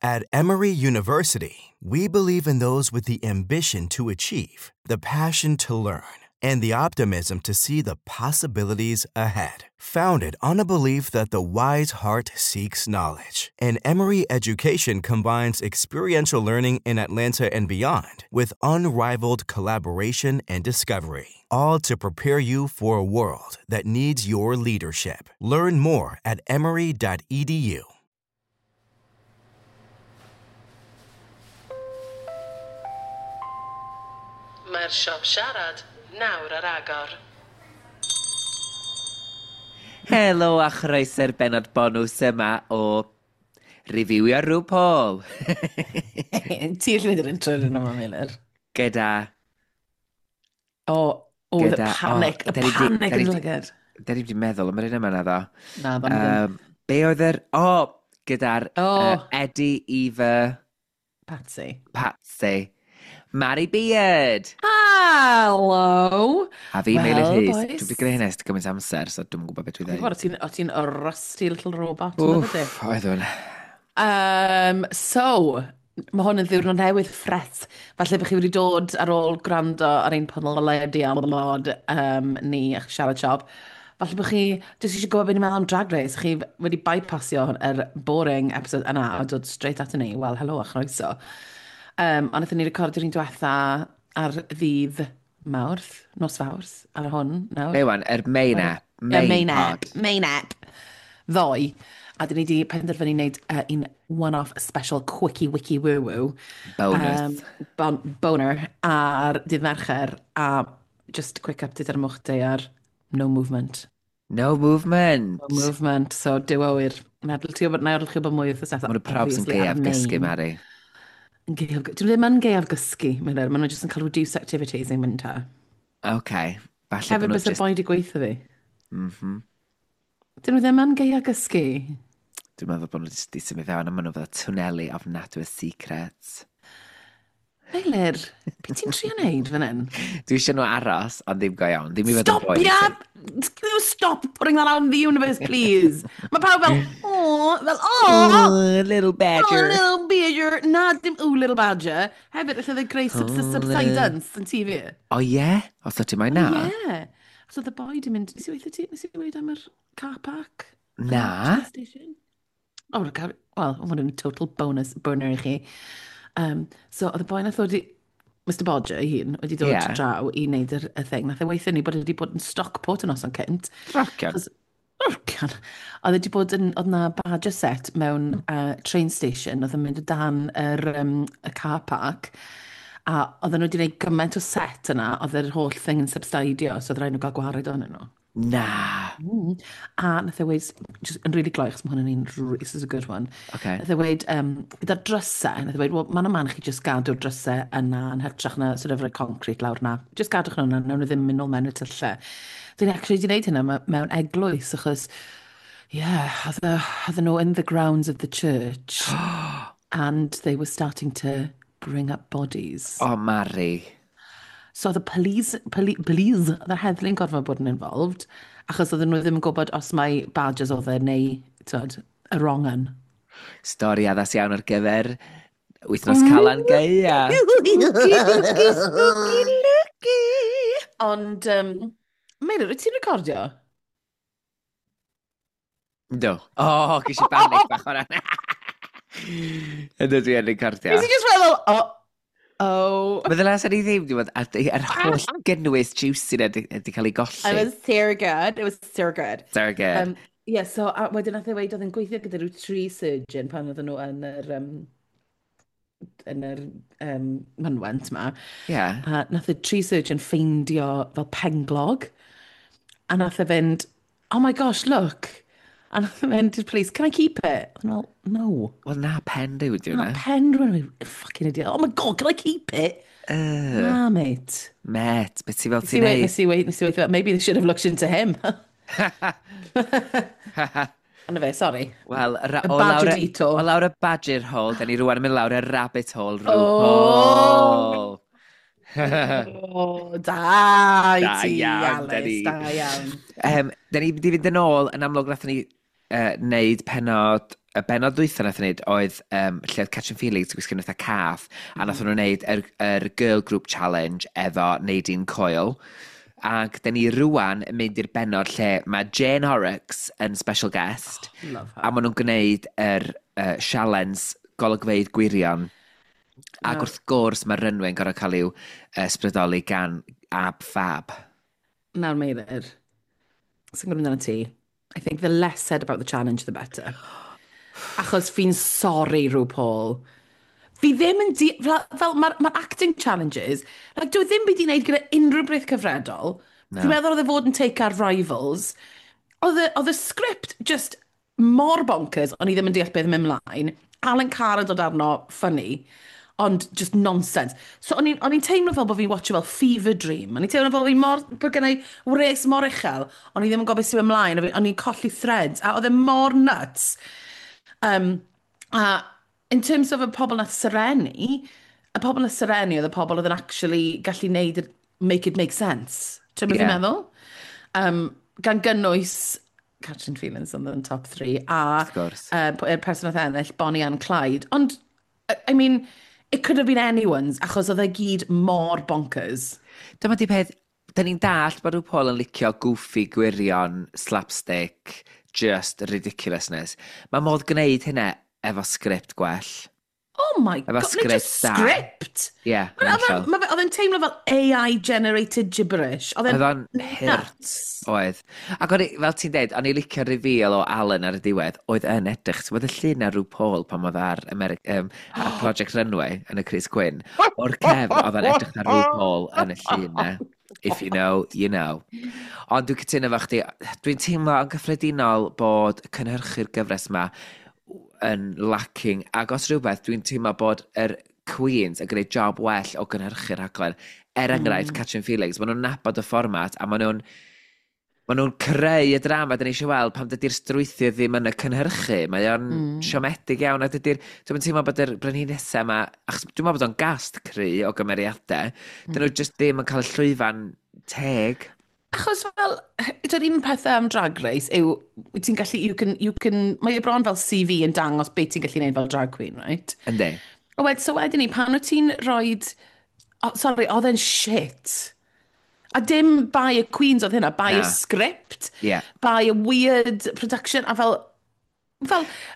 At Emory University, we believe in those with the ambition to achieve, the passion to learn, and the optimism to see the possibilities ahead. Founded on a belief that the wise heart seeks knowledge, an Emory education combines experiential learning in Atlanta and beyond with unrivaled collaboration and discovery, all to prepare you for a world that needs your leadership. Learn more at emory.edu. Mae'r siop siarad nawr ar agor. Helo a chroeso'r benod bonws yma o Reviewio RuPaul. Ti eisiau gwneud yr intro yn yma, Meilir. Gyda... O, oh, the panic, y panic yn lygad. Da ni wedi meddwl am yr un yma na ddo. Na, ddo. Be oedd yr... O, gyda'r Eddie, Eva... Patsy. Patsy. Mari Beard! Hello! A fi, well, Meilir Rhys. Dwi wedi gwneud hynny ers gymaint amser, so dwi'n gwybod beth dwi'n dweud. O ti'n rusty little robot. Wff, oeddwn. So, mae hwn yn ddiwrnod newydd ffres. Falle bych chi wedi dod ar ôl gwrando ar ein podlediad ni a'ch siarad siop. Falle bych chi jyst eisiau gwybod beth ni'n meddwl am Drag Race. Chi wedi bypassio yr boring episode yna a dod straight at ni. Wel, helo a chroeso. Ond wnaethon ni recordio'r un diwetha ar ddydd Mawrth, nos Fawrth, ar hwn nawr. Be wan, yr main app. Main app. Main app. Ddoe. A dyn ni wedi penderfynu wneud un one-off special quickie wiki woo-woo. Bonus. Boner ar dydd Mercher. A just quick update ar y moch day ar no movement. No movement. No movement. So, dyw awyr. Meddwl ti o bod, nawr chi o bod mwy wrth y Mae'n probs yn gaeaf gysgu, Mari. Dyn nhw ddim yn gaeaf gysgu, maen nhw jyst yn cael reduced activities in winter. OK. Falle hefyd bys y boi di gweithio fi. Mm. Dyn nhw ddim yn gaeaf gysgu. Dwi'n meddwl bod nhw wedi symud fewn a maen nhw fel twneli ofnadwy o secrets. Meilir, beth ti'n trio wneud fan hyn? Dwi eisiau nhw aros, ond ddim go iawn. Ddim i fod yn boi. Stop putting that out in the universe, please. Mae pawb fel, oh, fel, oh, little badger. Oh, little badger. Na, dim, oh, little badger. Hefyd, allai dde greu subsidence yn TV. O, ie? Os o ti mai na? Ie. So the boy di mynd, nes i weithio ti, nes i weid am yr car park? Na. Oh, well, hwn yn total bonus burner i chi. So, oedd y boi nath ddod i... Mr Bodger ei hun wedi dod draw i wneud y thing. Nath e weithio ni bod wedi bod yn Stockport yn noson cynt. Rocian. Rocian. Oedd wedi bod yn... Oedd na badger set mewn train station. Oedd yn mynd o dan y car park. A oedden nhw wedi gwneud gymaint o set yna. Oedd yr holl thing yn subsidio. So oedd rhaid nhw gael gwared ohonyn nhw. Na. A nath e weid, just yn really gloi, achos mae hwn yn un, this is a good one. Okay. Nath e weid, gyda'r drysau, nath e weid, well, mae'n man chi just gadw'r drysau yna yn hytrach na sort of rhoi concrete lawr na. Just gadwch nhw yna, nawn nhw ddim mynd nôl mewn y tyllau. Dyn ni actually wedi gwneud hynna mewn eglwys, achos, yeah, oedden nhw in the grounds of the church, and they were starting to bring up bodies. Oh, Mari. So oedd y police, oedd yr heddlu'n gorfod bod yn involved, achos oedden nhw ddim yn gwybod os mai badgers oedd e neu, twyd, y wrong un. Stori addas iawn ar gyfer wythnos Calan Gaea. Spooky, looky. Ond, Meilir, wyt ti'n recordio? Do. Oh, ges i banic bach o'na. Ynddo dwi yn recordio. Nes i just feddwl, oh, oh. Meddwl as ni ddim, dwi'n meddwl, yr holl gynnwys juicy na di cael ei golli. It was so good, it was so good. So good. Yeah, so a wedyn nath e weid oedd yn gweithio gyda rhyw tree surgeon pan oedden nhw yn yr, mynwent ma. Yeah. A nath y tree surgeon ffeindio fel penglog. A nath e fynd, oh my gosh, look. A nath e fynd i'r police, can I keep it? And well, no. Wel, na pen rhyw ydi hwnna. Na pen rhyw, fucking idiot. Oh my god, can I keep it? Na, mate. Mate, beth ti fel ti'n neud? Nes i weid, maybe they should have looked into him. Ond fe, sorry. Wel, o lawr y badger hole, da ni rwan yn mynd lawr y rabbit hole, RuPaul. Oh, da i ti, Alice, da iawn. Da ni wedi fynd yn ôl, yn amlwg nathon ni Neud penod, y benod ddwytha nath wneud oedd lle oedd Catrin Felix yn gwisgo fatha cath, a nath nhw wneud yr Girl Group Challenge efo Nadine Coyle. Ac dyn ni rwan yn mynd i'r benod lle mae Jane Horrocks yn special guest. Oh, love her. A maen nhw'n gwneud yr challenge golygfeydd gwirion. Ac wrth gwrs mae Runway yn gorfod cael i'w ysbrydoli gan Ab Fab. Nawr Meilir, sy'n gwybod amdano ti, I think the less said about the challenge, the better. Achos fi'n sorry, RuPaul. Fi ddim yn fel mae'r ma acting challenges, like, dwi ddim byd i wneud gyda unrhyw beth cyfredol. No. Fi'n meddwl oedd e fod yn take ar Rivals. Oedd y script just mor bonkers, o'n i ddim yn deall beth yn mynd mlaen. Alan Carr yn dod arno, funny, ond just nonsense. So o'n i'n teimlo fel bod fi'n watcho fel fever dream. O'n i'n teimlo fel fi'n mor, bod gen i wres mor uchel, o'n i ddim yn gwybod beth sy'n mynd ymlaen, o'n i'n colli threads, a oedd e mor nuts. A in terms of y pobl nath serennu, y pobl nath serennu oedd y pobl oedd yn actually gallu neud, make it make sense. Ti'n beth fi'n meddwl? Gan gynnwys Catrin Feelings yn the top three, a Wrth gwrs. Y person nath ennill, Bonnie and Clyde. Ond, I mean, it could have been anyone's, achos oedd e gyd mor bonkers. Dyma di peth, da ni'n dallt bod RuPaul yn licio goofy gwirion, slapstick, just ridiculousness. Mae modd gwneud hynna efo sgript gwell. Oh my Efo God, nid sgript just da. script! Ie, yeah, Oedd e'n teimlo fel AI-generated gibberish. Oedd Oedd e'n o'n hurt. nuts. Oedd. Ac o'n i, fel ti'n deud, o'n i licio reveal o Alan ar y diwedd, oedd yn edrych, ti'n bod y llun ar RuPaul pan oedd ar Project Runway yn y crys gwyn, o'r cefn, oedd o'n edrych ar RuPaul yn y llun na. If you know, you know. Ond dwi'n cytuno efo chdi, dwi'n teimlo yn gyffredinol bod cynhyrchu'r gyfres yma yn lacking, ac os rhywbeth, dwi'n teimlo bod yr Queens yn gwneud job well o gynhyrchu'r rhaglen. Er enghraifft, Catrin Felix, maen nhw'n nabod y fformat a maen nhw'n creu y drama dyn ni eisiau weld pam dydy'r strwythur ddim yn y cynhyrchu. Mae o'n siomedig iawn a dydy'r... Dwi'n teimlo bod yr brenhinesau yma... Achos dwi'n meddwl bod o'n gast cry o gymeriadau. Dyn nhw just ddim yn cael y llwyfan teg. Achos fel, dy'r un pethau am Drag Race yw, wyt ti'n gallu, you can, mae e bron fel CV yn dangos beth ti'n gallu gwneud fel drag queen, right? Yndi. O wed, so wedyn ni, pan wyt ti'n rhoi, oh, sorry, oedd e'n shit. A dim by y Queens oedd hynna, by Na. y script, by a weird production, a fel,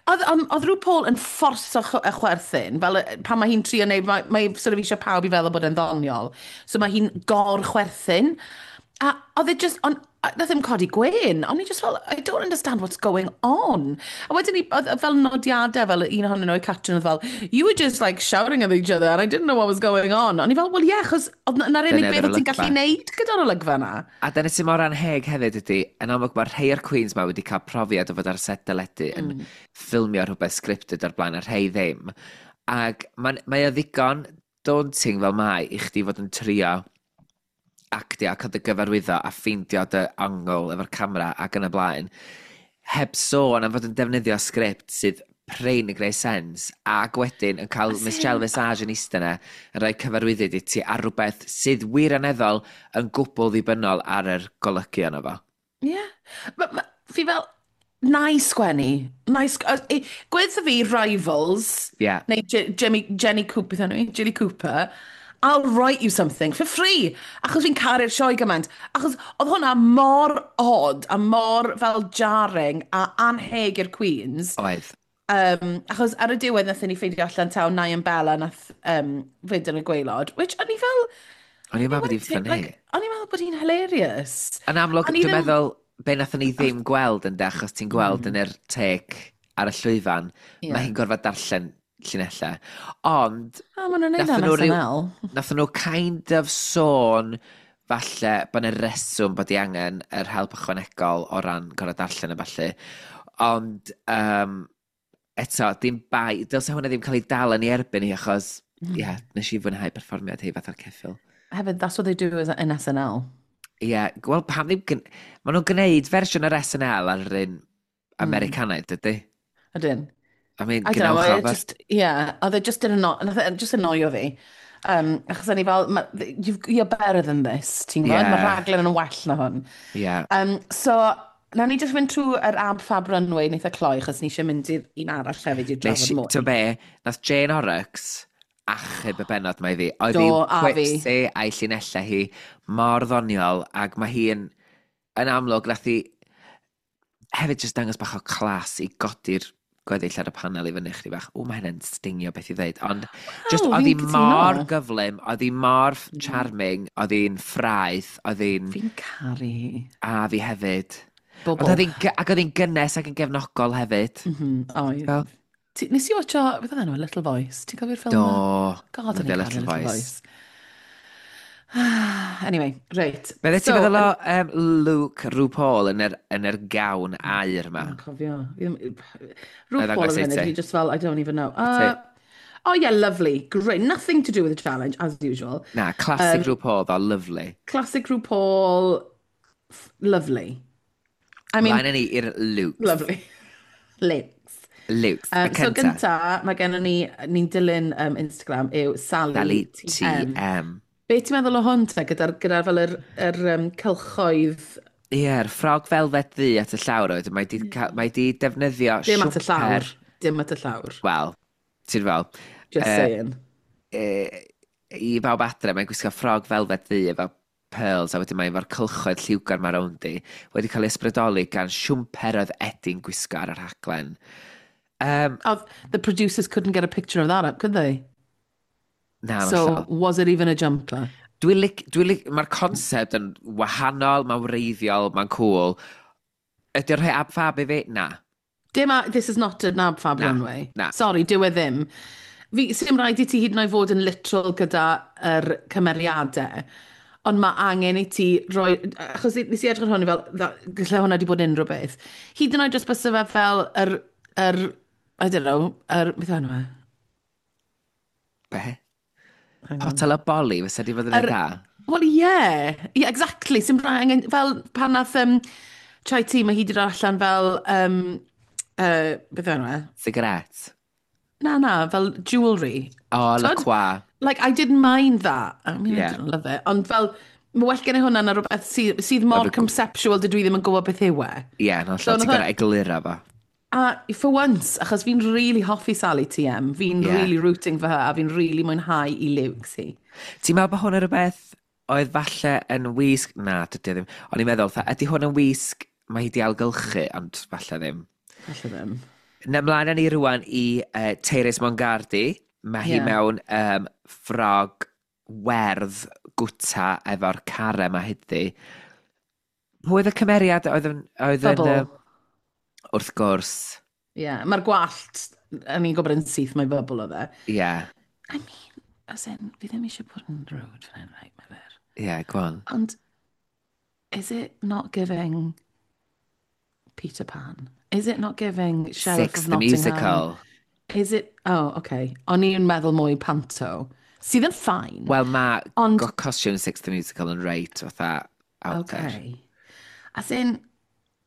oedd RuPaul yn fforso y chwerthin, fel pan mae hi'n trio neud, mae sort of eisiau pawb i feddwl bod e'n ddoniol. So mae hi'n gor-chwerthin. A oedd e just, on, nath ddim codi gwên, o'n i just fel, "I don't understand what's going on." A wedyn ni, oedd fel nodiadau, fel un ohonyn nhw, Catrin, oedd fel, "You were just like shouting at each other and I didn't know what was going on." O'n i fel, "Well yeah, achos oedd na'r unig Dyna beth oedd oedd ti'n gallu olygfa. neud gyda'r olygfa na." A dyna sy'n mor anheg hefyd ydy, yn amlwg mae rhai o'r Queens ma wedi cael profiad o fod ar set deledu yn ffilmio rhywbeth scripted o'r blaen a rhai ddim. Ac mae o ddigon daunting fel mae i chdi fod yn trio actio a cael dy gyfarwyddo a ffeindio dy angle efo'r camera ac yn y blaen. Heb sôn am fod yn defnyddio sgript sydd prin yn gwneud sens ac wedyn yn cael Michelle Visage yn eistedd yna yn rhoi cyfarwyddyd i ti ar rhywbeth sydd wirioneddol yn gwbl ddibynnol ar yr golygu yno fo. Ie. Ma, fi fel, na i sgwennu. Na i Gweud fi Rivals, neu Jimmy, Jenny Cooper, beth enw hi? Jilly Cooper, "I'll write you something for free." Achos fi'n caru'r sioe gymaint. Achos oedd hwnna mor odd a mor fel jarring a anheg i'r Queens. Oedd. Achos ar y diwedd nathon ni ffeindio allan taw Nia and Bella nath fynd yn y gwaelod, which o'n i fel O'n i'n meddwl bod hi'n funny. Like, o'n i'n meddwl bod hi'n hilarious. Yn amlwg, O'n i dwi'n meddwl, be nathon ni ddim gweld yn de, achos ti'n gweld yn yr take ar y llwyfan, mae hi'n gorfod darllen llinellau. Ond, O, maen nhw'n neud nathon am nhw SNL. Nathon nhw kind of sôn falle bod yna reswm bod i angen yr help ychwanegol o ran gorfod darllen y falle. Ond eto, dim bai, dylse hwnna ddim cael ei dal yn ei erbyn hi achos, ie, yeah, nes i fwynhau perfformiad hi fatha'r ceffyl. Hefyd, that's what they do in SNL. Ie, yeah, wel pam ddim... Maen nhw'n gwneud fersiwn yr SNL ar yr un Americanaidd, dydy? Ydyn. I mean, I don't know, gwnewch it o. just, yeah, oedd e just yn anno, nath e just annoio fi. Achos o'n i fel, "You're better than this," ti'n gwybod? Yeah. Mae rhaglen yn well na hwn. Ie. So, Nawn ni just fynd trwy yr Ab Fab Runway yn eitha cloi, achos ni eisiau mynd i'r un arall hefyd i Nes drafod i, mwy. ti'n be, nath Jane Horrocks achub y bennod mae fi. Oedd Do, hi'n a fi. quipsy a'i llinellau hi mor ddoniol, ac mae hi'n yn amlwg, nath hi hefyd jyst dangos bach o clas i godi'r gweddill ar y panel i fyny chdi bach. O, mae hynny'n stingio beth i ddeud. Ond just Waw, oedd hi fi'n cytuno. mor gyflym, oedd hi mor charming, oedd hi'n ffraeth, oedd hi'n. Fi'n caru hi. A fi hefyd. Ond Bobl. oedd hi'n ac oedd hi'n gynnes ac yn gefnogol hefyd. Oedd. Fel, Nes i watcho, beth oedd enw, Little Voice? Ti'n cofio'r ffilm Do. 'na? God, o'n Lyfio i'n caru Little Little Voice. Voice. Anyway, reit. Be ti'n So, feddwl o Luke RuPaul yn yr gawn aur yma? Yn cofio. Fi ddim- Na i RuPaul ddangos yn i funud, ti. fi just fel, I don't even know. Oh yeah, lovely. Great. Nothing to do with the challenge, as usual. Na, classic RuPaul, though, lovely. Classic RuPaul, lovely. I mean, Mlaen â ni i'r Lukes. Lovely. Lukes. Lukes, y So cynta. gynta, mae gennym ni, ni'n dilyn Instagram, yw Sally, Sally TM. TM. Be ti'n meddwl o hwn te, gyda'r gyda fel yr cylchoedd? Ie, yr ffrog felfed ddu at y llawr oedd, mae di defnyddio Dim at y llawr. siwmper. Dim at y llawr. Wel, ti'n fel, Just saying. i bawb adre, mae'n gwisgo ffrog felfed ddu efo pearls, a wedyn mae efo'r cylchoedd lliwgar ma rownd i, wedi cael ei ysbrydoli gan siwmper oedd Eddie'n gwisgo ar y rhaglen. Oh, the producers couldn't get a picture of that up, could they? Na, So, hollol. was it even a jumper? Dwi'n lic, mae'r concept yn wahanol, mae'n wreiddiol, mae'n cool. Ydy'r rhoi Ab Fab i fi? Na. Dim a, this is not an Ab Fab Na, runway. na. Sorry, dyw e ddim. Fi, sy'n rhaid i ti hyd yn oed fod yn literal gyda yr cymeriadau, ond mae angen i ti roi. Achos nes i edrych ar hwn i fel, gallai hwnna wedi bod unrhyw beth. Hyd yn oed jyst bysa fe fel yr, I don't know, yr, beth yw enw e? Be? Hang on. Potel o boli, fysa di fod yn dda? Well, yeah. Yeah, exactly. Sy'n angen, fel pan nath Chai Tea, mae hi wedi dod allan fel, beth yw enw e? Cigarette. Na, fel jewellery. O, oh, T'wod? La Croix. Like, I didn't mind that. I mean, Yeah. I didn't love it. Ond fel, mae well gen i hwnna na rhywbeth sydd mor conceptual dydw i ddim yn gwybod beth yw e. Ie, yeah, no, So, ti'n nath gorau egluro fo. A for once, achos fi'n really hoffi Sally TM, fi'n really rooting for her, a fi'n really mwynhau i looks hi. Ti'n meddwl bod hwn yn rhywbeth oedd falle yn wisg? Na, dydy o ddim. O'n i'n meddwl, fatha, ydy hwn yn wisg mae hi di ailgylchu, ond falle ddim. Falle ddim. Na, mlaen â ni rwan i Tyrus Mongardi. Mae hi mewn ffrog werdd gwta efo'r care ma hyddi. Pwy oedd y cymeriad oedd yn... Oedd yn Bubble. Wrth gwrs, Ie, yeah. Mae'r gwallt, o'n i'n gwybod yn syth mai Bubble oedd e. ie. Yeah. I mean, as in, fi ddim eisiau bod yn rude fan hyn, right, Meilir. Ie, yeah, go on. Ond, is it not giving Peter Pan? Is it not giving Sheriff Six of the Nottingham? Musical. Is it... Oh, okay. O'n i'n meddwl mwy panto. Sydd yn fine. Wel, mae costume Six the Musical yn reit fatha out there. Okay. As in,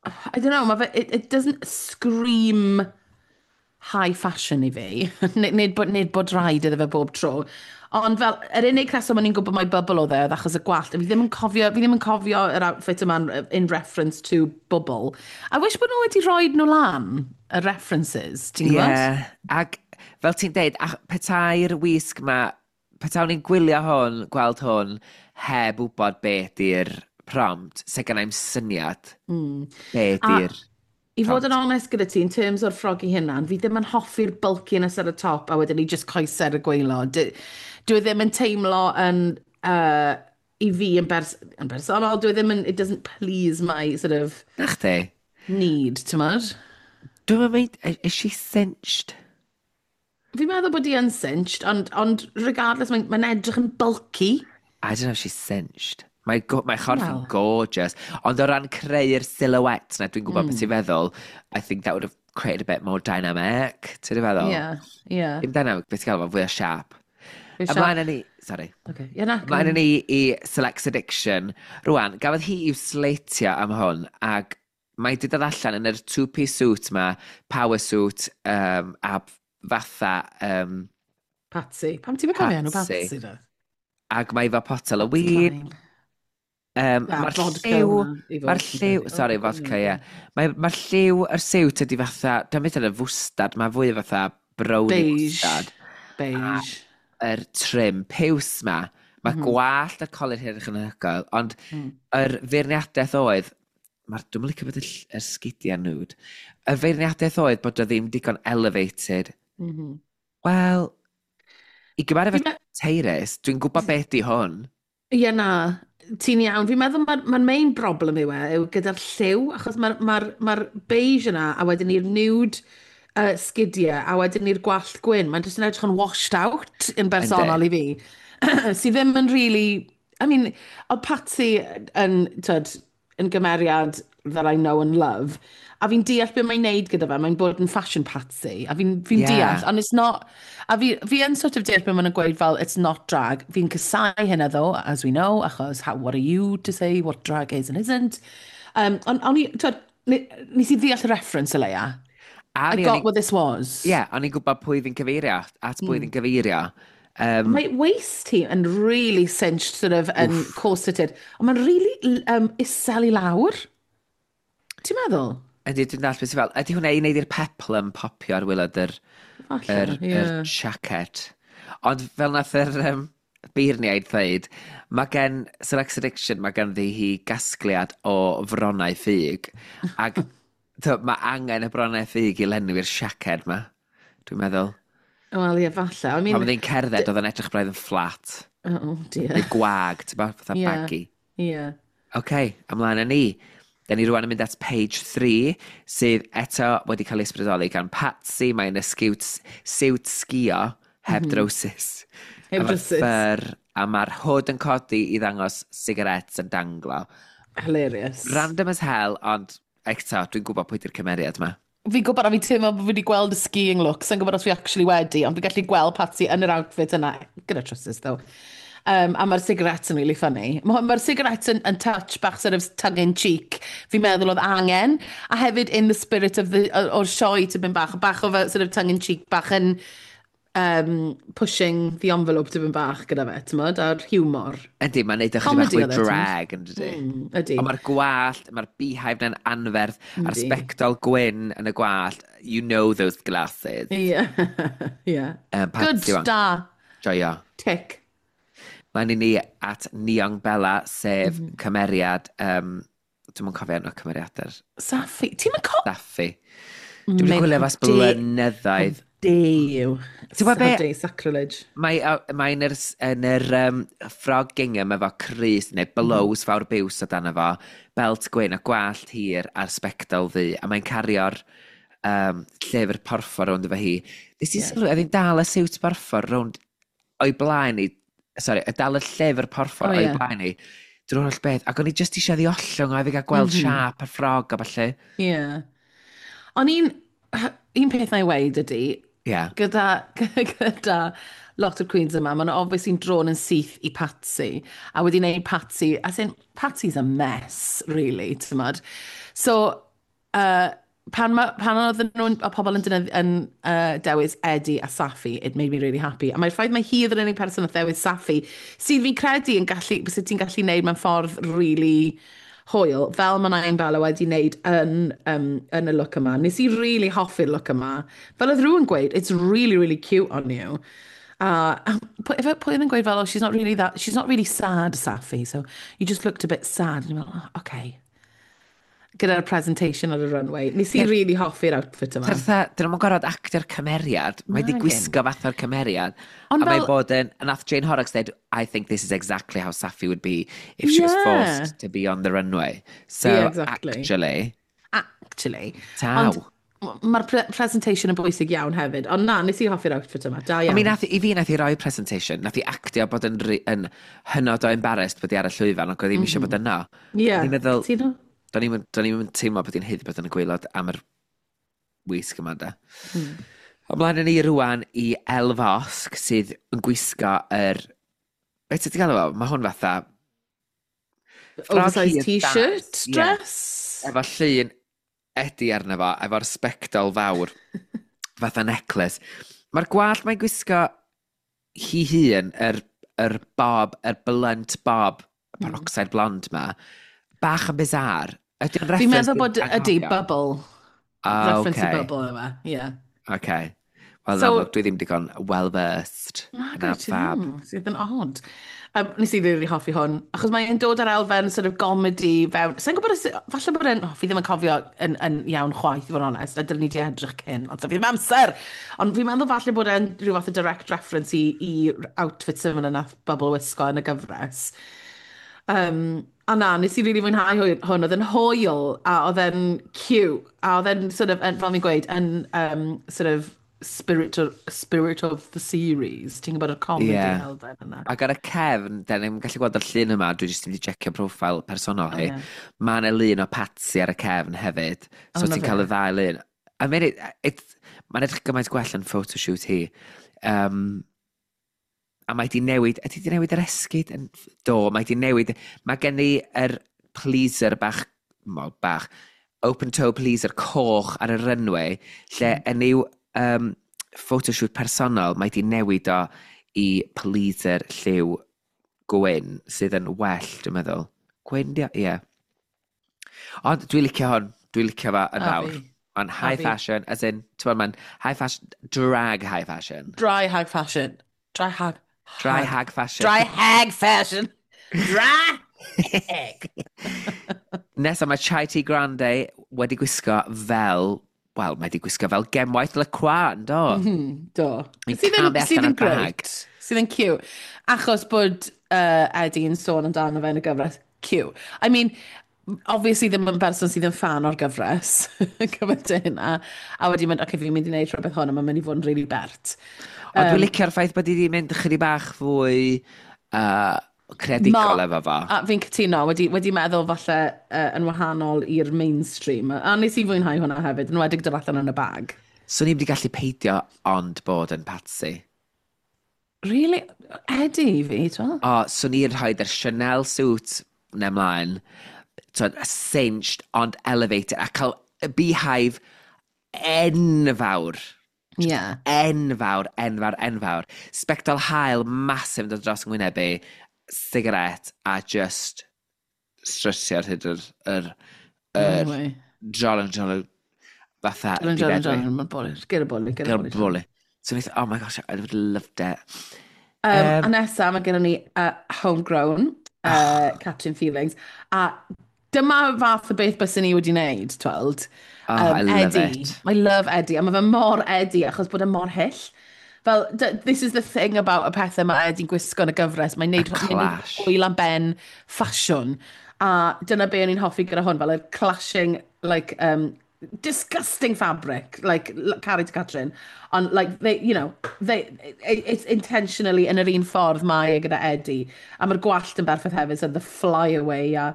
I don't know, ma fe, it doesn't scream high fashion i fi. Nid bod rhaid iddo fe bob tro. Ond fel, yr unig reswm o'n i'n gwybod mai Bubble oedd e, oedd achos y gwallt. Fi ddim yn cofio, fi ddim yn cofio yr outfit yma in reference to Bubble. I wish bod nhw wedi rhoi nhw lan, y references, ti'n Ie, gwybod? yeah. Ac fel ti'n deud, petai'r wisg ma, petawn ni'n gwylio hwn, gweld hwn, heb wybod be di'r prompt, se gennai'm syniad be di'r I fod yn onest gyda ti, in terms o'r ffrog i hynna, fi ddim yn hoffi'r bulkiness ar y top a wedyn ni just coesau ar y gwaelod. Dwi ddim yn teimlo yn, i fi yn bersonol, dwi ddim yn, it doesn't please my sort of Na chdi? need, ti'n modd? Dwi'n mynd, is she cinched? Fi'n meddwl bod hi yn cinched, ond regardless, mae'n edrych yn bulky. I don't know if she's cinched. Mae chorff yn Wel. gorgeous. Ond o ran creu'r silhouette na, dwi'n gwybod beth ti'n feddwl, I think that would have created a bit more dynamic. Ti'n feddwl? Yeah. Dim dynamic, beth ti'n gael, fwy o sharp. Fwy o Ymlaen siâp. â ni, sorry. Okay. Yeah, na. Ymlaen â ni i Selects Addiction. Rwan, gafodd hi i'w sleitio am hwn, ac mae di dod allan yn yr two-piece suit ma, power suit, a fatha, Patsy. Pam ti'n cofio enw Patsy. Patsy da? Ac mae efo potel o win. Klein. Mae'r lliw. Mae'r lliw. Sorry, vodka, ie. Mae'r lliw yr siwt ydi fatha. Dwi'n meddwl y fwstad, mae fwy fatha brownie Beige. Fwstad. Beige. Yr trim piws ma. Mae gwallt y colur hyn yn anhygoel, ond yr feirniadaeth oedd, dwi'n licio bod y sgidiau nude, y feirniadaeth oedd bod o ddim digon elevated. Wel, i gymharu efo Tyrus, dwi'n gwybod beth di hwn. Ie, na, ti'n iawn. Fi'n meddwl mae'r main problem yw e, yw gyda'r lliw, achos mae'r beige yna, a wedyn ni'r nude sgidiau, a wedyn ni'r gwallt gwyn. Mae'n jyst yn edrych yn washed out yn bersonol i fi. Sydd ddim yn really. I mean, oedd Patsy yn, tyd, yn gymeriad that I know and love, a fi'n deall beth mae'n neud gyda fe, mae'n bod yn fashion Patsy, a fi'n deall, and it's not. A fi yn sort of deall beth maen nhw'n gweud fel, "It's not drag." Fi'n casáu hynna though, as we know, achos what are you to say what drag is and isn't? Ond i, twyd, nes i ddeall y reference o leia. A I got what this was. Ie, yeah, o'n i'n gwybod pwy fi'n cyfeirio, at pwy fi'n cyfeirio. Mae waist hi yn really cinched, sort of, yn corseted. Ond mae'n really isel i lawr. Ti'n meddwl? Ydy, dwi'n dall beth sy'n fel. Ydy hwnna i wneud i'r peplum popio ar waelod Falle, ie. yr jacket? Ond fel nath yr beirniaid dweud, mae gen Sex Addiction, mae ganddi hi gasgliad o fronnau ffug. Ac mae angen y bronnau ffug i lenwi'r siaced ma, dwi'n meddwl. Wel, ie, falle. I mean, Pan oedd hi'n cerdded, oedd yn edrych braidd yn fflat. Oh, dear. Neu gwag, ti'n bod, fatha baggy. Ie. OK, ymlaen â ni. Da ni rwan yn mynd at page 3, sydd eto wedi cael ei ysbrydoli gan Patsy. Mae'n y siwt sgio heb drowsus. Heb Efo'r drowsus. Fur, a mae'r hood yn codi i ddangos cigarettes yn danglo. Hilarious. Random as hell, ond eto, dwi'n gwybod pwy di'r cymeriad yma. Fi'n gwybod a fi'n teimlo bod fi wedi gweld y skiing look. Sa'n gwybod os fi actually wedi, ond fi'n gallu gweld Patsy yn yr outfit yna. Gyda trowsus, though. A mae'r cigarettes yn really funny. Mae'r cigarettes yn touch bach sort of tongue-in-cheek. Fi'n meddwl oedd angen. A hefyd in the spirit of the, o'r sioe tipyn bach. Bach o fel sort of tongue-in-cheek, bach yn pushing the envelope tipyn bach gyda fe, ti'n a'r humor. Ydy, mae'n neud ychydig bach Comedy fwy oedd e, t'mod? drag, yn dydy? Ydy. Ond mae'r gwallt, mae'r beehive na'n anferth, a'r Yndi. sbectol gwyn yn y gwallt, you know those glasses. Ie. Patsy Good, wan. da. Joio. Tick. Mae'n i ni at Nyong Bella, sef cymeriad, dwi'm yn cofio enw cymeriadau'r Saffy. Ti'n mynd Saffy. Dwi'n wedi gwylio fas blynyddoedd. Dew. Ti'n gwbod be? Dew, sacrilege. Mae yn yr ffrog gingham efo crys neu blows fawr biws o dan efo, belt gwyn a gwallt hir a'r sbectol ddu, a mae'n cario'r llyfr porffor rownd efo hi. Nes i sylwi, oedd hi'n dal y siwt porffor rownd o'i blaen i, sorry, y dal y llyfr porffor o'i blaen i, drwy'r holl beth, ac o'n i jyst eisiau ddi ollwng o, i fi gael gweld siâp y ffrog a falle. Ie. Yeah. Ond un peth na i weud ydy, gyda lot o'r queens yma, maen nhw obviously drawn yn syth i Patsy, a wedi gwneud Patsy, as in, Patsy's a mess, really, ti'n modd. So, pan oedden nhw'n, y pobl yn dewis Eddie a Saffy, it made me really happy. A mae'r ffaith mae hi oedd yr unig person oedd dewis Saffy, sydd fi'n credu yn gallu, sydd ti'n gallu neud mewn ffordd really hwyl, fel mae Nain Bella wedi wneud yn y look yma. Nes i really hoffi'r look yma. Fel oedd rhywun gweud, "It's really, really cute on you." A pwy oedd yn gweud fel, "Oh, she's not really that, she's not really sad, Saffy, so you just looked a bit sad." And you're like, "Oh, okay." Gyda'r presentation ar y runway. Nes i really hoffi'r outfit yma. Fatha, dyn nhw'n gorfod actio'r cymeriad. Mae di Nagin. gwisgo fath o'r cymeriad. Ond A mae'n bod yn. A nath Jane Horrocks dweud, "I think this is exactly how Saffy would be if she was forced to be on the runway." So, actually, Actually. Taw. Ond mae'r presentation yn bwysig iawn hefyd. Ond na, nes i hoffi'r outfit yma. Da I iawn. mean, i fi nath i roi presentation, nath i actio bod yn hynod o embarrassed bod i ar y llwyfan, ac oedd ddim eisiau bod yno. Ie. O'n i'n meddwl, Cytuno. do'n i'm yn teimlo bod hi'n haeddu bod yn y gwaelod am yr wisg yma, da. Ymlaen â ni rwan i Elle Vosque, sydd yn gwisgo yr. Beth ti'n gael efo? Mae hwn fatha ffrog Oversized hir t-shirt, dant, ie. dress. Efo llun Eddie arno fo, efo'r sbectol fawr, fatha necklace. Mae'r gwallt mae'n gwisgo hi hun, yr bob, yr blunt bob Peroxide blonde ma. Bach yn bizarre. Ydy'n Fi'n reference meddwl bod ydy anghofio? Bubble. Ah, Reference i okay. Bubble yma, yeah. Okay. Wel, So- so, amlwg, dwi ddim digon well-versed. Na, yn gwyd ti fab. ddim, sydd yn odd. Nes i really hoffi hwn, achos mae'n dod ar elfen sort of comedy fewn. Sa'n gwybod os, falle bod e'n, oh, fi ddim yn cofio yn iawn chwaith, i fod yn onest, a dylen ni di edrych cyn, ond fi ddim amser. Ond fi'n meddwl falle bod e'n rhyw fath o direct reference i outfit similar nath Bubble wisgo yn y gyfres. A na, nes i really fwynhau hwn. Oedd yn hwyl, a oedd e'n cute, a oedd e'n sort of, yn, fel fi'n gweud, yn sort of spirit of the series. Ti'n gwybod y comedy elfen yna. Ac ar y cefn, da ni'n gallu gweld yr llun yma, dwi jyst wedi checio profil personol hi. Oh, ie. Mae yna lun o Patsy ar y cefn hefyd. So Oh, na ti'n cael fe. y ddau lun. I mean, mae'n edrych gymaint gwell yn photoshoot hi. A mae di newid, ydy di newid yr esgid? Do, mae di newid. Mae gen i yr pleaser bach, mo, bach, open toe pleaser coch ar y runway, lle yn i'w photoshoot personol, mae di newid o i pleaser lliw gwyn, sydd yn well, dwi'n meddwl. Gwyn, di o? Ie. Ond dwi'n licio hwn, dwi'n licio fo yn A fawr. fi. Mae'n high fi. fashion, as in, ti'n gwbod, mae'n high fashion, drag high fashion. Dry hag fashion. Dry hag. Dry hag fashion. Dry hag fashion. Dry hag. Nesa mae Chai T Grande wedi gwisgo fel, wel, mae wedi gwisgo fel gemwaith LaCroix, yn do? Do. Mae'n Sydd yn, camu sydd allan yn o'r bag. great. Sydd yn cute. Achos bod Eddie yn sôn amdano fe yn y gyfres. Cute. I mean, obviously ddim yn berson sydd yn fan o'r gyfres. Gymaint o hynna. A wedi mynd, "Okay, fi'n mynd i wneud rhywbeth hwn, a mae'n mynd i fod yn really bert." Ond dwi'n licio'r ffaith bod hi wedi mynd chydig bach fwy creadigol efo fo. A fi'n cytuno, wedi meddwl falle yn wahanol i'r mainstream. A nes i fwynhau hwnna hefyd, yn wedig dod allan yn y bag. So ni'n wedi gallu peidio ond bod yn Patsy. Really? Eddie i fi, ti'n O, so ni'n rhoi yr Chanel suit na ymlaen, twyd, cinched ond elevated, a cael y beehive enfawr. Enfawr, enfawr, enfawr. Sbectol haul massive yn dod dros yng ngwyneb i, cigarette, a just strysio ar hyd yr Anyway. jolyn, jolyn, fatha Jolyn, jolyn, difedwi. jolyn, mae'n boli. Get a boli, get a Gyda'r boli. boli. So nes, oh my gosh, I would have loved it. A nesa, mae gennym ni Homegrown, Catrin Feelings. A dyma fath o beth byswn ni wedi wneud, tweld. Oh, I love Eddie. it. I love Eddie. A mae fe mor Eddie, achos bod e mor hyll. Fel, this is the thing about y pethau mae Eddie'n gwisgo yn y gyfres. Mae'n neud, Y mae'n neud clash. hwyl am ben ffasiwn. A dyna be o'n i'n hoffi gyda hwn, fel y clashing, like, disgusting fabric, like, Carrie to Catrin. Ond, like, they, you know, they, it, it's intentionally yn yr un ffordd mae e gyda Eddie. A mae'r gwallt yn berffaith hefyd, so the flyaway, a,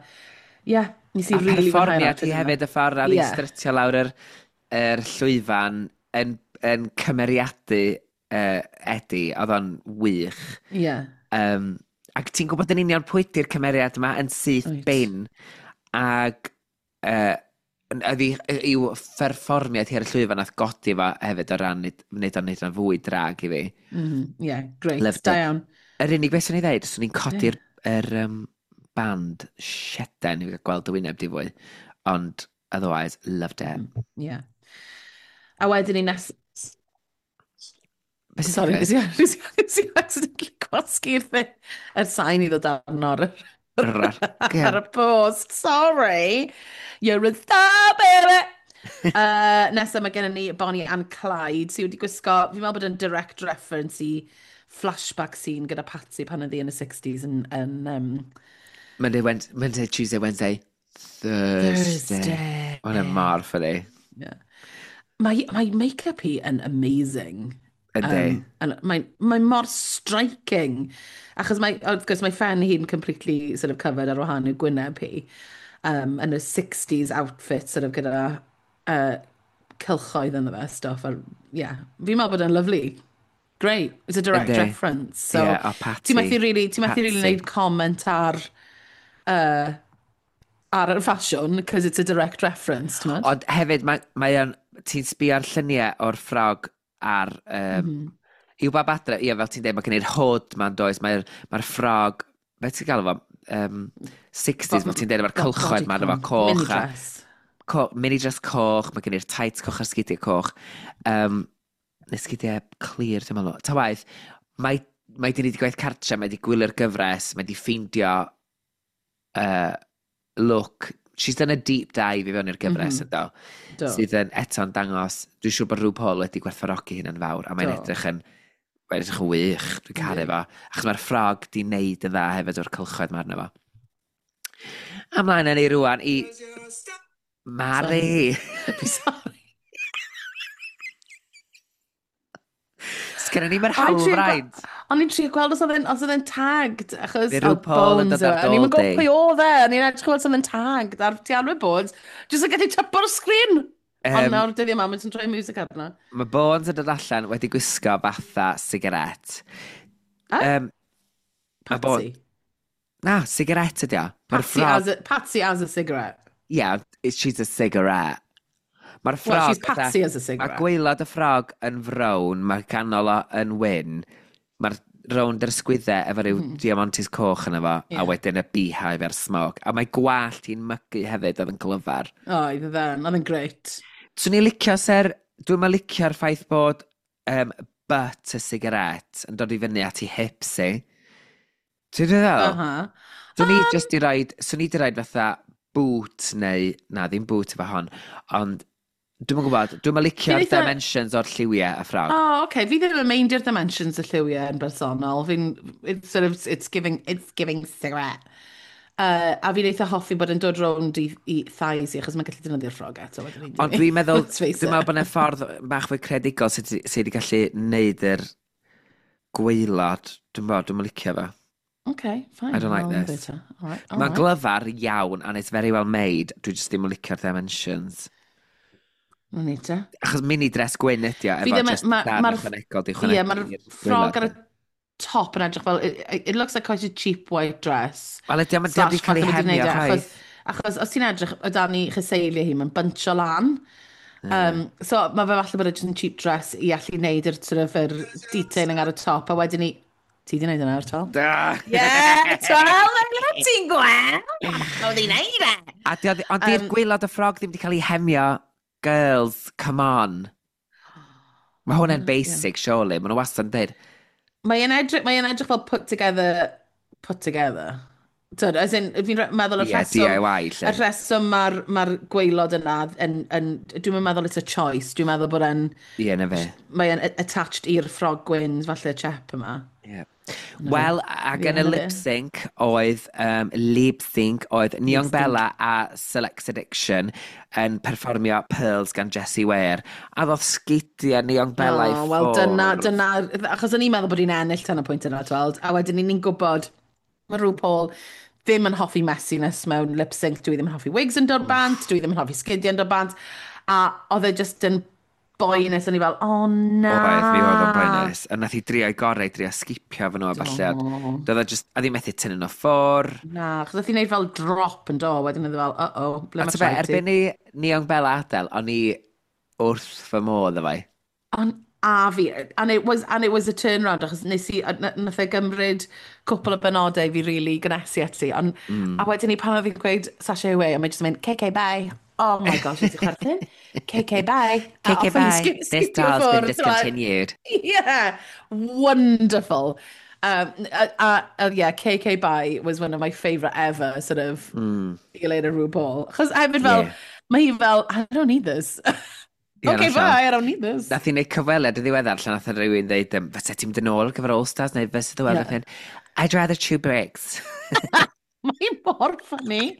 yeah, nes i A really fwynhau'r perfformiad outfit hi yna. hefyd, y ffordd ar ei strytio lawr yr llwyfan yn cymeriadu Eddie, oedd o'n wych. Ac ti'n gwybod yn union pwy 'di'r cymeriad yma yn syth bin. Ac oedd i'w pherfformiad hi ar y llwyfan nath godi fo hefyd o ran wneud o'n fwy drag i fi. Yeah, great. Loved Da it. iawn. Yr unig beth swn i ddeud, swn i'n codi'r yr, band sieden i fi gael gweld y wyneb di fwy. Ond otherwise, loved it. Yeah. A wedyn ni nes. Beth sy'n Sorry, digwydd? nes i accidentally gwasgu'r thing. Yr sain i ddod arno ar y post. Sorry. You're a star, baby! Nesa mae gennym ni Bonnie and Clyde, sydd wedi gwisgo, fi'n meddwl bod yn direct reference i flashback scene gyda Patsy pan oedd hi yn y 60s yn Monday, Wednesday, Monday, Tuesday, Wednesday, Thursday. Thursday. Mae'n mor funny. Yeah. Mae make-up hi yn amazing. Yndi. And mae mor striking. Achos mae, wrth gwrs, mae phen hi'n completely sort of covered ar wahan i'w gwyneb hi. Yn y 60s outfit, sort of gyda cylchoedd ynddo fe, stuff. A, yeah, fi'n meddwl bod e'n lovely. Great. It's a direct reference. So, Yeah, o Patty. Ti'n methu really Patsy. wneud comment ar y ffasiwn, because it's a direct reference, ti'n meddwl? Ond hefyd, mae o'n, ti'n sbio ar lluniau o'r ffrog ar... I'w bab adre, ie, fel ti'n dweud, mae gen i'r hood ma'n does, mae'r ffrog, beth ti'n galw fo? 60s, fel ti'n dweud, efo'r cylchoedd ma, efo coch. Mini dress. Mini dress coch, mae gen i'r tights coch a'r sgidiau coch. Neu sgidiau clir, dwi'n meddwl. Ta waith, mae di wneud gwaith cartre, mae di gwylio'r gyfres, mae di ffeindio look. She's done a deep dive i fewn i'r gyfres, yndo. Sydd yn eto'n dangos, dwi'n siŵr bod RuPaul wedi gwerthfawrogi hynna'n fawr, a mae'n edrych yn wych, dwi'n caru fo. Achos mae'r ffrog di wneud yn dda hefyd o'r cylchoedd mae arno fo. Ymlaen â ni rwan i Mari. Sorry. Sgynnon ni'm yr hawlfraint. O'n i'n trio gweld os oedd e'n tagged, achos Fe RuPaul yn dod ar O'n i'n dôl gwybod di. pwy oedd e, o'n i'n edrych gweld os oedd e'n tagged ar ti arwydd bod, jyst yn gallu typo'r sgrin. Ond nawr dyddiau yma, mae'n troi music arno. Mae Bones yn dod allan wedi gwisgo fatha sigaret. Patsy? Na, sigaret ydi o. Patsy as a cigarette. Yeah, she's a cigarette. Mae'r ffrog... Well, she's Patsy as a cigarette. Mae gwaelod y ffrog yn frown, mae canol o yn wyn. Mae'r rownd yr ysgwyddau efo rhyw diamantes coch yna fo, a wedyn y beehive a'r smog. A mae gwallt hi'n mygu hefyd oedd yn glyfar. Oedd oedd yn great. Swn i'n licio, ser, dwi'n ma licio'r ffaith bod butt y sigaret yn dod i fyny at ei hips i. Ti'n dweud? Swn i just i roid, swn i di roid fatha boot neu, na ddim boot efo hon, ond dwi'm yn gwybod, dwi'm yn licio'r dimensions o'r lliwiau y ffrog. Oh, okay. Fi ddim yn meindio'r dimensions y lliwiau yn bersonol. Fi'n, it's sort of, it's giving cigarette. A fi'n eitha hoffi bod yn dod rownd i thighs i, achos mae'n gallu defnyddio'r ffrog eto. Ond dwi'n meddwl, dwi'n meddwl bod yna ffordd bach fwy creadigol sydd wedi gallu neud yr gwaelod. Dwi'n meddwl, dwi'n licio fo. Okay, fine. I don't like this. Mae'n glyfar iawn, and it's very well made. Dwi jyst ddim yn licio'r dimensions. Mae'n neud te. Achos mini dress gwyn ydi o, efo just darn ychwanegol di chwanegu. Ie, mae'r ffrog ar y top yn edrych fel, it looks like quite a cheap white dress. Wel, ydy o'n wedi cael ei hemio, chwaith. Achos os ti'n edrych o dan i cheseiliau hi, mae'n buncho lan. So mae fe falle bod yn cheap dress i allu wneud yr sort of, yr detailing ar y top, a wedyn ni... Ti di wneud yna ar tol? Da! Yeah, twel, ti'n gweld! Oedd hi'n neud e! Ond di'r gwaelod y ffrog ddim wedi cael ei hemio. Girls, come on. Mae hwnna'n basic, surely. Mae nhw wastad yn dweud. Mae'n edrych fel put together. Tyd, as in, fi'n meddwl y rheswm... DIY, lle. Y rheswm mae'r gwaelod yna, dwi'n meddwl it's a choice, dwi'n meddwl bod e'n... Ie, na fe. Mae'n attached i'r ffrog gwyn, falle chep yma. Ie. Wel, ac yn y lip sync oedd, Nyong Bella a Select Addiction yn perfformio Pearls gan Jessie Ware. A ddodd sgidiau Nyong Bella i ffwrdd. Wel, dyna, achos o'n i'n meddwl bod hi'n ennill tan y pwynt yna, tweld, a wedyn ni'n gwybod mae RuPaul ddim yn hoffi messiness mewn lip sync, dwi ddim yn hoffi wigs yn dod bant, dwi ddim yn hoffi sgidiau yn dod bant, a oedd e just yn boenus, o'n i fel, oh na. Oedd, mi oedd o'n boenus. A nath i drio i gorau, drio sgipio fy nhw a falle. Doedd o just, a ddim methu tynnu nhw ffwr. Na, achos oedd hi'n neud fel drop yn do, wedyn oedd fel, uh-oh, ble mae traed ti. Erbyn i Nyong Bella adael, o'n i wrth fy modd efo i. Ond a fi, and it was a turnaround, achos nes i, nath e gymryd cwpl o benodau fi really gynnesu ati, ond, a wedyn ni pan oedd hi'n gweud sashay away, a mae jyst yn mynd, KK bye. Oh my gosh, nes i chwerthin. KK bye. KK bye. This doll's been discontinued. Yeah, wonderful. Yeah, KK bye was one of my favourite ever, sort of, Elena RuPaul. Achos hefyd fel, mae hi fel, I don't need this. Yeah, okay, bye, I don't need this. Nath i wneud cyfweliad yn ddiweddar lle nath rhywun dweud, fysa ti'n mynd yn ôl ar gyfer All Stars neu fysa the world yeah. I'd rather chew bricks. Mae'n mor funny.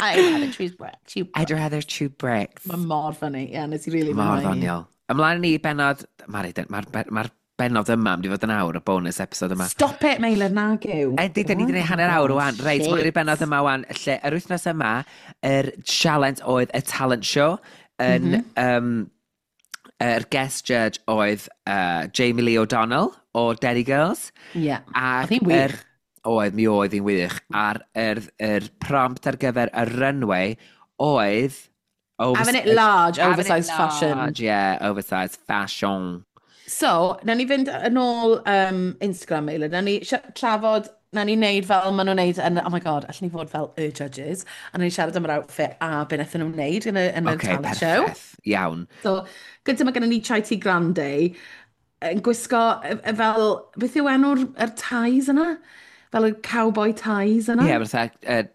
I'd rather chew bricks. I'd rather chew bricks. Mae'n mor funny, yeah, nes i really mor ddoniol. Ymlaen ni benod, mae'r benod yma mynd i fod yn awr, y bonus episode yma. Stop it, Meilir, nag yw. Ydy, da ni wedi gwneud hanner awr wan. Reit, mae'r benod yma wan, lle yr wythnos yma, yr challenge oedd y talent show yn... Yr guest judge oedd Jamie Lee O'Donnell o Derry Girls. Ie, yeah. Oedd hi'n wych. Oedd, mi oedd hi'n wych. A'r prompt ar gyfer y runway oedd... Having it large, oversized fashion. Large, yeah, oversized fashion. So, nawn ni fynd yn ôl Instagram, Meilir. Nawn ni trafod Na ni wneud fel maen nhw'n wneud yn, oh my God, allwn ni fod fel y judges, a na ni siarad am yr outfit a be wnaethon nhw wneud yn y okay, talent show. Perffaith. Iawn. So, gyda mae gennym ni Chai Tea Grande, yn gwisgo fel, beth yw enw'r ties yna? Fel y cowboy ties yna? Ie, yeah, fatha,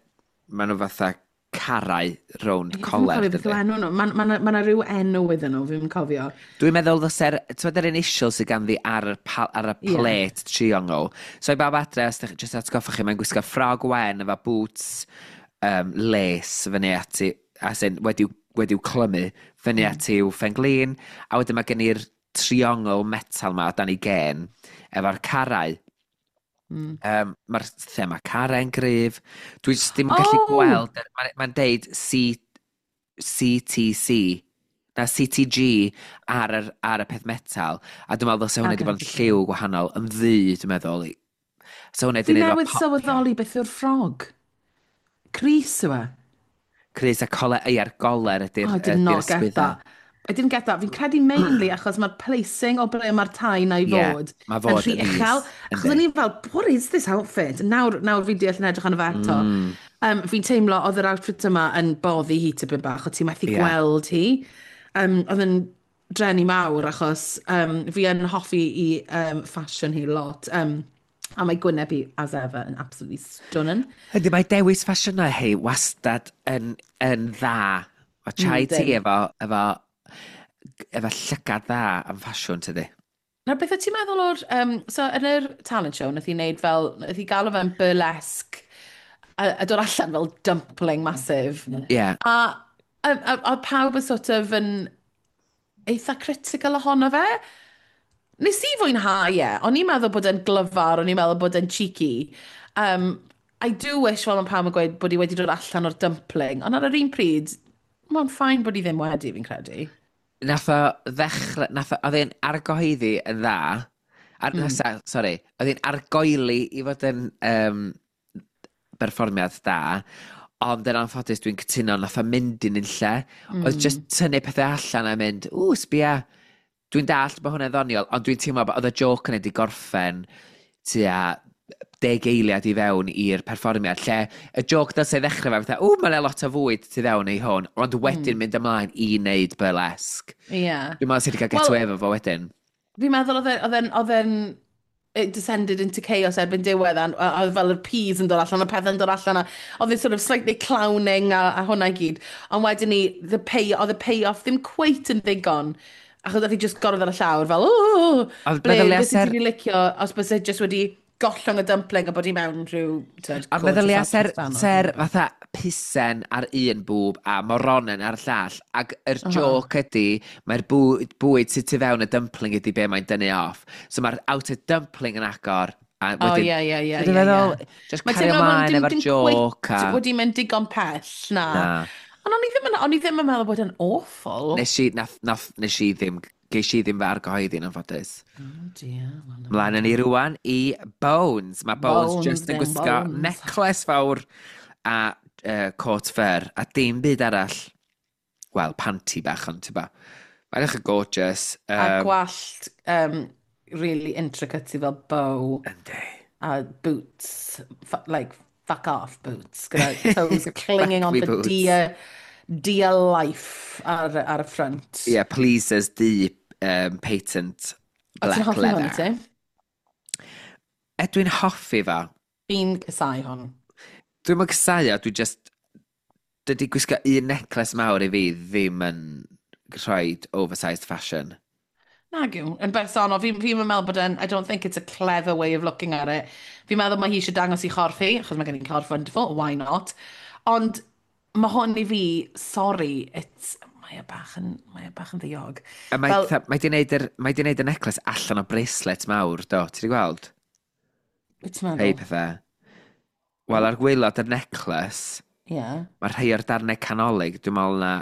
maen nhw fatha carau rownd Ie, fi'm yn coler, cofio beth yw dydy. enw nhw. Mae ma rhyw enw iddyn nhw, fi'n cofio. Dwi'n meddwl ddylse'r, ti'n meddwl yr initial sydd ganddi ar y plate triongl. So i bawb adre, os dych, just atgoffa chi, mae'n gwisgo ffrog wen efo boots lace fyny ati, as in, wedi'w clymu fyny at i'w phen-glin, a wedyn mae gen i'r triongl metal ma o dan ei gen, efo'r carau. Mae'r thema carau'n gryf. Dwi jyst ddim yn gallu gweld, mae'n deud CTC, na CTG ar y peth metal, a dwi'n meddwl ddylse hwnna wedi bod yn lliw gwahanol, yn ddu, dwi'n meddwl. So hwnna Fi wedi neud newydd efo sylweddoli beth yw'r ffrog. Crys yw e. Crys a coler, ei, a'r goler ydy'r Oh, I did ydy'r not get ysgwydda. that. I didn't get that. Fi'n credu mainly achos mae'r placing o ble mae'r tie na i fod mae yn fod rhy yn is, uchel. Achos yndi. o'n i fel, "What is this outfit?" Nawr fi'n deall yn edrych arno fe eto. Fi'n teimlo oedd yr outfit yma yn boddi hi tipyn bach, o ti'n methu gweld hi. Oedd yn dreni mawr achos fi yn hoffi i fashion hi lot. A mae gwyneb hi, as ever, yn absolutely stunning. Ydy, mae dewis ffasiynau hi wastad yn dda. Mae Chai Tea Yndi. efo llygad dda am ffasiwn, tydi? Nawr, beth wyt ti'n meddwl o'r... So, yn yr talent show, nath hi wneud fel... Nath hi galw fe'n burlesque a dod allan fel dumpling massive. A pawb yn sort of yn eitha critical ohono fe. Nes i fwynhau e. O'n i'n meddwl bod e'n glyfar, o'n i'n meddwl bod e'n cheeky. I do wish, fel mae pawb yn gweud, bod hi wedi dod allan o'r dumpling. Ond ar yr un pryd, mae'n fine bod hi ddim wedi, fi'n credu. Nath o ddechrau, oedd e'n argyhoeddi yn dda. Ar, sorry, oedd e'n argoeli i fod yn berfformiad da, ond yn anffodus dwi'n cytuno, nath o mynd i'n unlle. Oedd just tynnu pethau allan a mynd, "Ww, sbia," dwi'n dallt bod hwnna'n ddoniol, ond dwi'n teimlo bod oedd y joke yna wedi gorffen tua 10 eiliad i fewn i'r perfformiad, lle y joke dylse ddechrau fe, fatha, "Ww, mae'n lot o fwyd tu fewn i hwn," ond wedyn mynd ymlaen i wneud burlesque. Dwi'n meddwl sydd wedi cael get Wel- away efo fo wedyn. Fi'n meddwl oedd e'n it descended into chaos erbyn diwedd a oedd fel y peas yn dod allan, y pethau'n dod allan, a oedd e sort of slightly clowning a hwnna i gyd. Ond wedyn ni, oedd y payoff ddim cweit yn ddigon, achos oedd hi just gorfod ar y llawr fel, "Ooh," Ond ble, meddylia beth sydd wedi licio, os bys e just wedi gollwng y dumpling a bod hi mewn rhyw, tyd, A gorgeous meddylia outfit dan ser fatha pisen ar un bwb a moronen ar y llall, ac yr joke ydy, mae'r bwyd sydd tu fewn y dumpling ydy be mae'n dynnu off. So mae'r outer dumpling yn agor, a O, wedyn ie. Dwi'n meddwl, just Mae'n cario teimlo bod ymlaen dim, efo'r dim joke cweit wedi mynd digon pell, na. Na. Ond o'n i ddim yn meddwl bod e'n awful. Nes i, nath, nath, nes i ddim, ges i ddim fy argyhoeddi yn anffodus. Oh dear. Well, no. Mlaen yn ni rwan i Bones. Mae Bones, Bones, just yn then gwisgo Bones. necklace fawr a coat fur a dim byd arall. Wel, panty bach, ond ti'n ba. Mae'n edrych yn gorgeous. A gwallt really intricate i fel bow. Yndi. A boots, like fuck off boots, gyda toes clinging Fuck on me for boots. dear life ar y front. Yeah, pleasers di patent O, ti'n black hoffi hwn, leather. ti? E, dwi'n hoffi fo. Fi'n casau hwn. Dwi'n mynd casau o, dwi just... Dydy gwisgo un necklace mawr i fi ddim yn rhoi oversized fashion. Nag yw, yn bersonol, fi'n meddwl bod yn, I don't think it's a clever way of looking at it. Fi'n meddwl mae hi eisiau dangos i chorff hi, achos mae gen i'n corff wonderful, why not? Ond mae hwn i fi, sorry, it's, mae e bach yn ddiog. A mae, Fel- fel, mae di neud y necklace allan o bracelet mawr, do? Ti di gweld? Beth ti'n Rhei meddwl? pethau. Wel, ar gwaelod y necklace, mae rhai o'r darnau canolig, dwi'n meddwl na...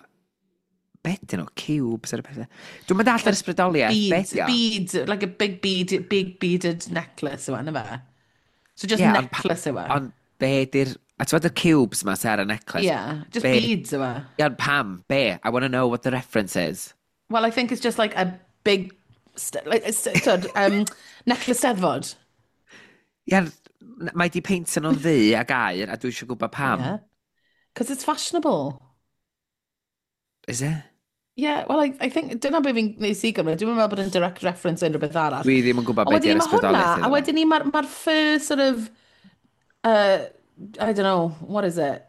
Be dyn nhw? Cubes ar y pethau. Dwi'n meddwl all yr ysbrydoliaeth. Be Beads, di o? beads, like a big bead, big beaded necklace yw e, na fe? So just Ie, necklace yw e. Ond be di'r... A ti'n gwybod y cubes ma sy ar y necklace? Yeah, just beads yw e. Ie, ond pam? Be? I want to know what the reference is. Well, I think it's just like a big, like, twyd, necklace Steddfod. Ie, Mae di peintio nhw'n ddu ag aur, a dwi eisiau gwybod pam. Yeah. Because it's fashionable. Is it? Yeah, well, I think, dyna be fi'n neud i gymryd. Dwi'n meddwl bod yn direct reference unrhyw beth arall. Dwi ddim yn gwybod Ond beth wedyn ni di'r mae hwnna, ysbrydoliaeth a iddo fo. wedyn ni mae'r ma fur sort of, I don't know, what is it?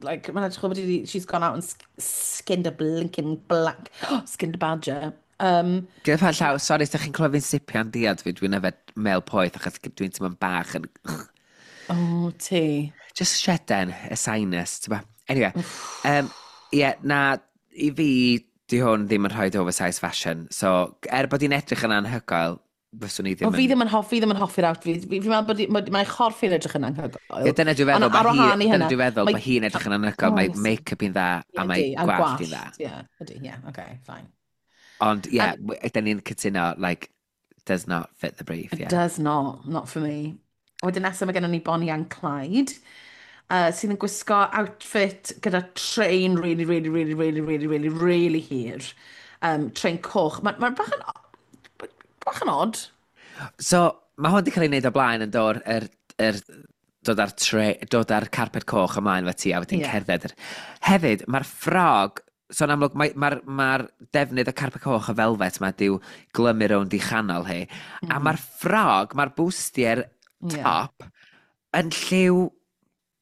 Like, mae'n edrych fel bod she's gone out and skinned a blinking black, skinned a badger. Gyda pa llaw, sori, os ydych chi'n clywed fi'n sipian diad fi, dwi'n yfed mel poeth achos dwi'n teimlo'n bach yn Oh, ti. Just sheden, y sinus, ti'n ba? Anyway, yeah, na, i fi, di hwn ddim yn rhoi oversize fashion. So, er bod hi'n edrych yn anhygoel, fyswn i ddim O, fi ddim yn hoffi, ddim yn hoffi'r outfit. Fi'n meddwl bod mae chorff hi'n edrych yn anhygoel. Ie, dyna dwi'n feddwl, Ond ar mae hi, wahân i dyna hynna, dwi'n feddwl, mae hi'n edrych yn anhygoel, mae Oes. make-up hi'n dda, a mae Ydi, a gwallt hi'n dda. Ie, ydy, ie, okay, fine. Ond, ie, yeah, dyn ni'n cytuno, like, does not fit the brief, It yeah. does not, not for me. Wedyn nesaf mae gennym ni Bonnie and Clyde, sydd yn gwisgo outfit gyda train really, really, really, really, really, really, really hir. Train coch. Mae'n ma bach yn odd. So, mae hwn wedi cael ei wneud o blaen yn dod, dod ar, dod ar carpet coch ymlaen efo ti a wedyn cerdded. Hefyd, mae'r ffrog, so yn amlwg, mae'r ma defnydd o carpet coch y velvet ma diw glymu rownd i chanol hi. A mae'r ffrog, mae'r bustier top yn lliw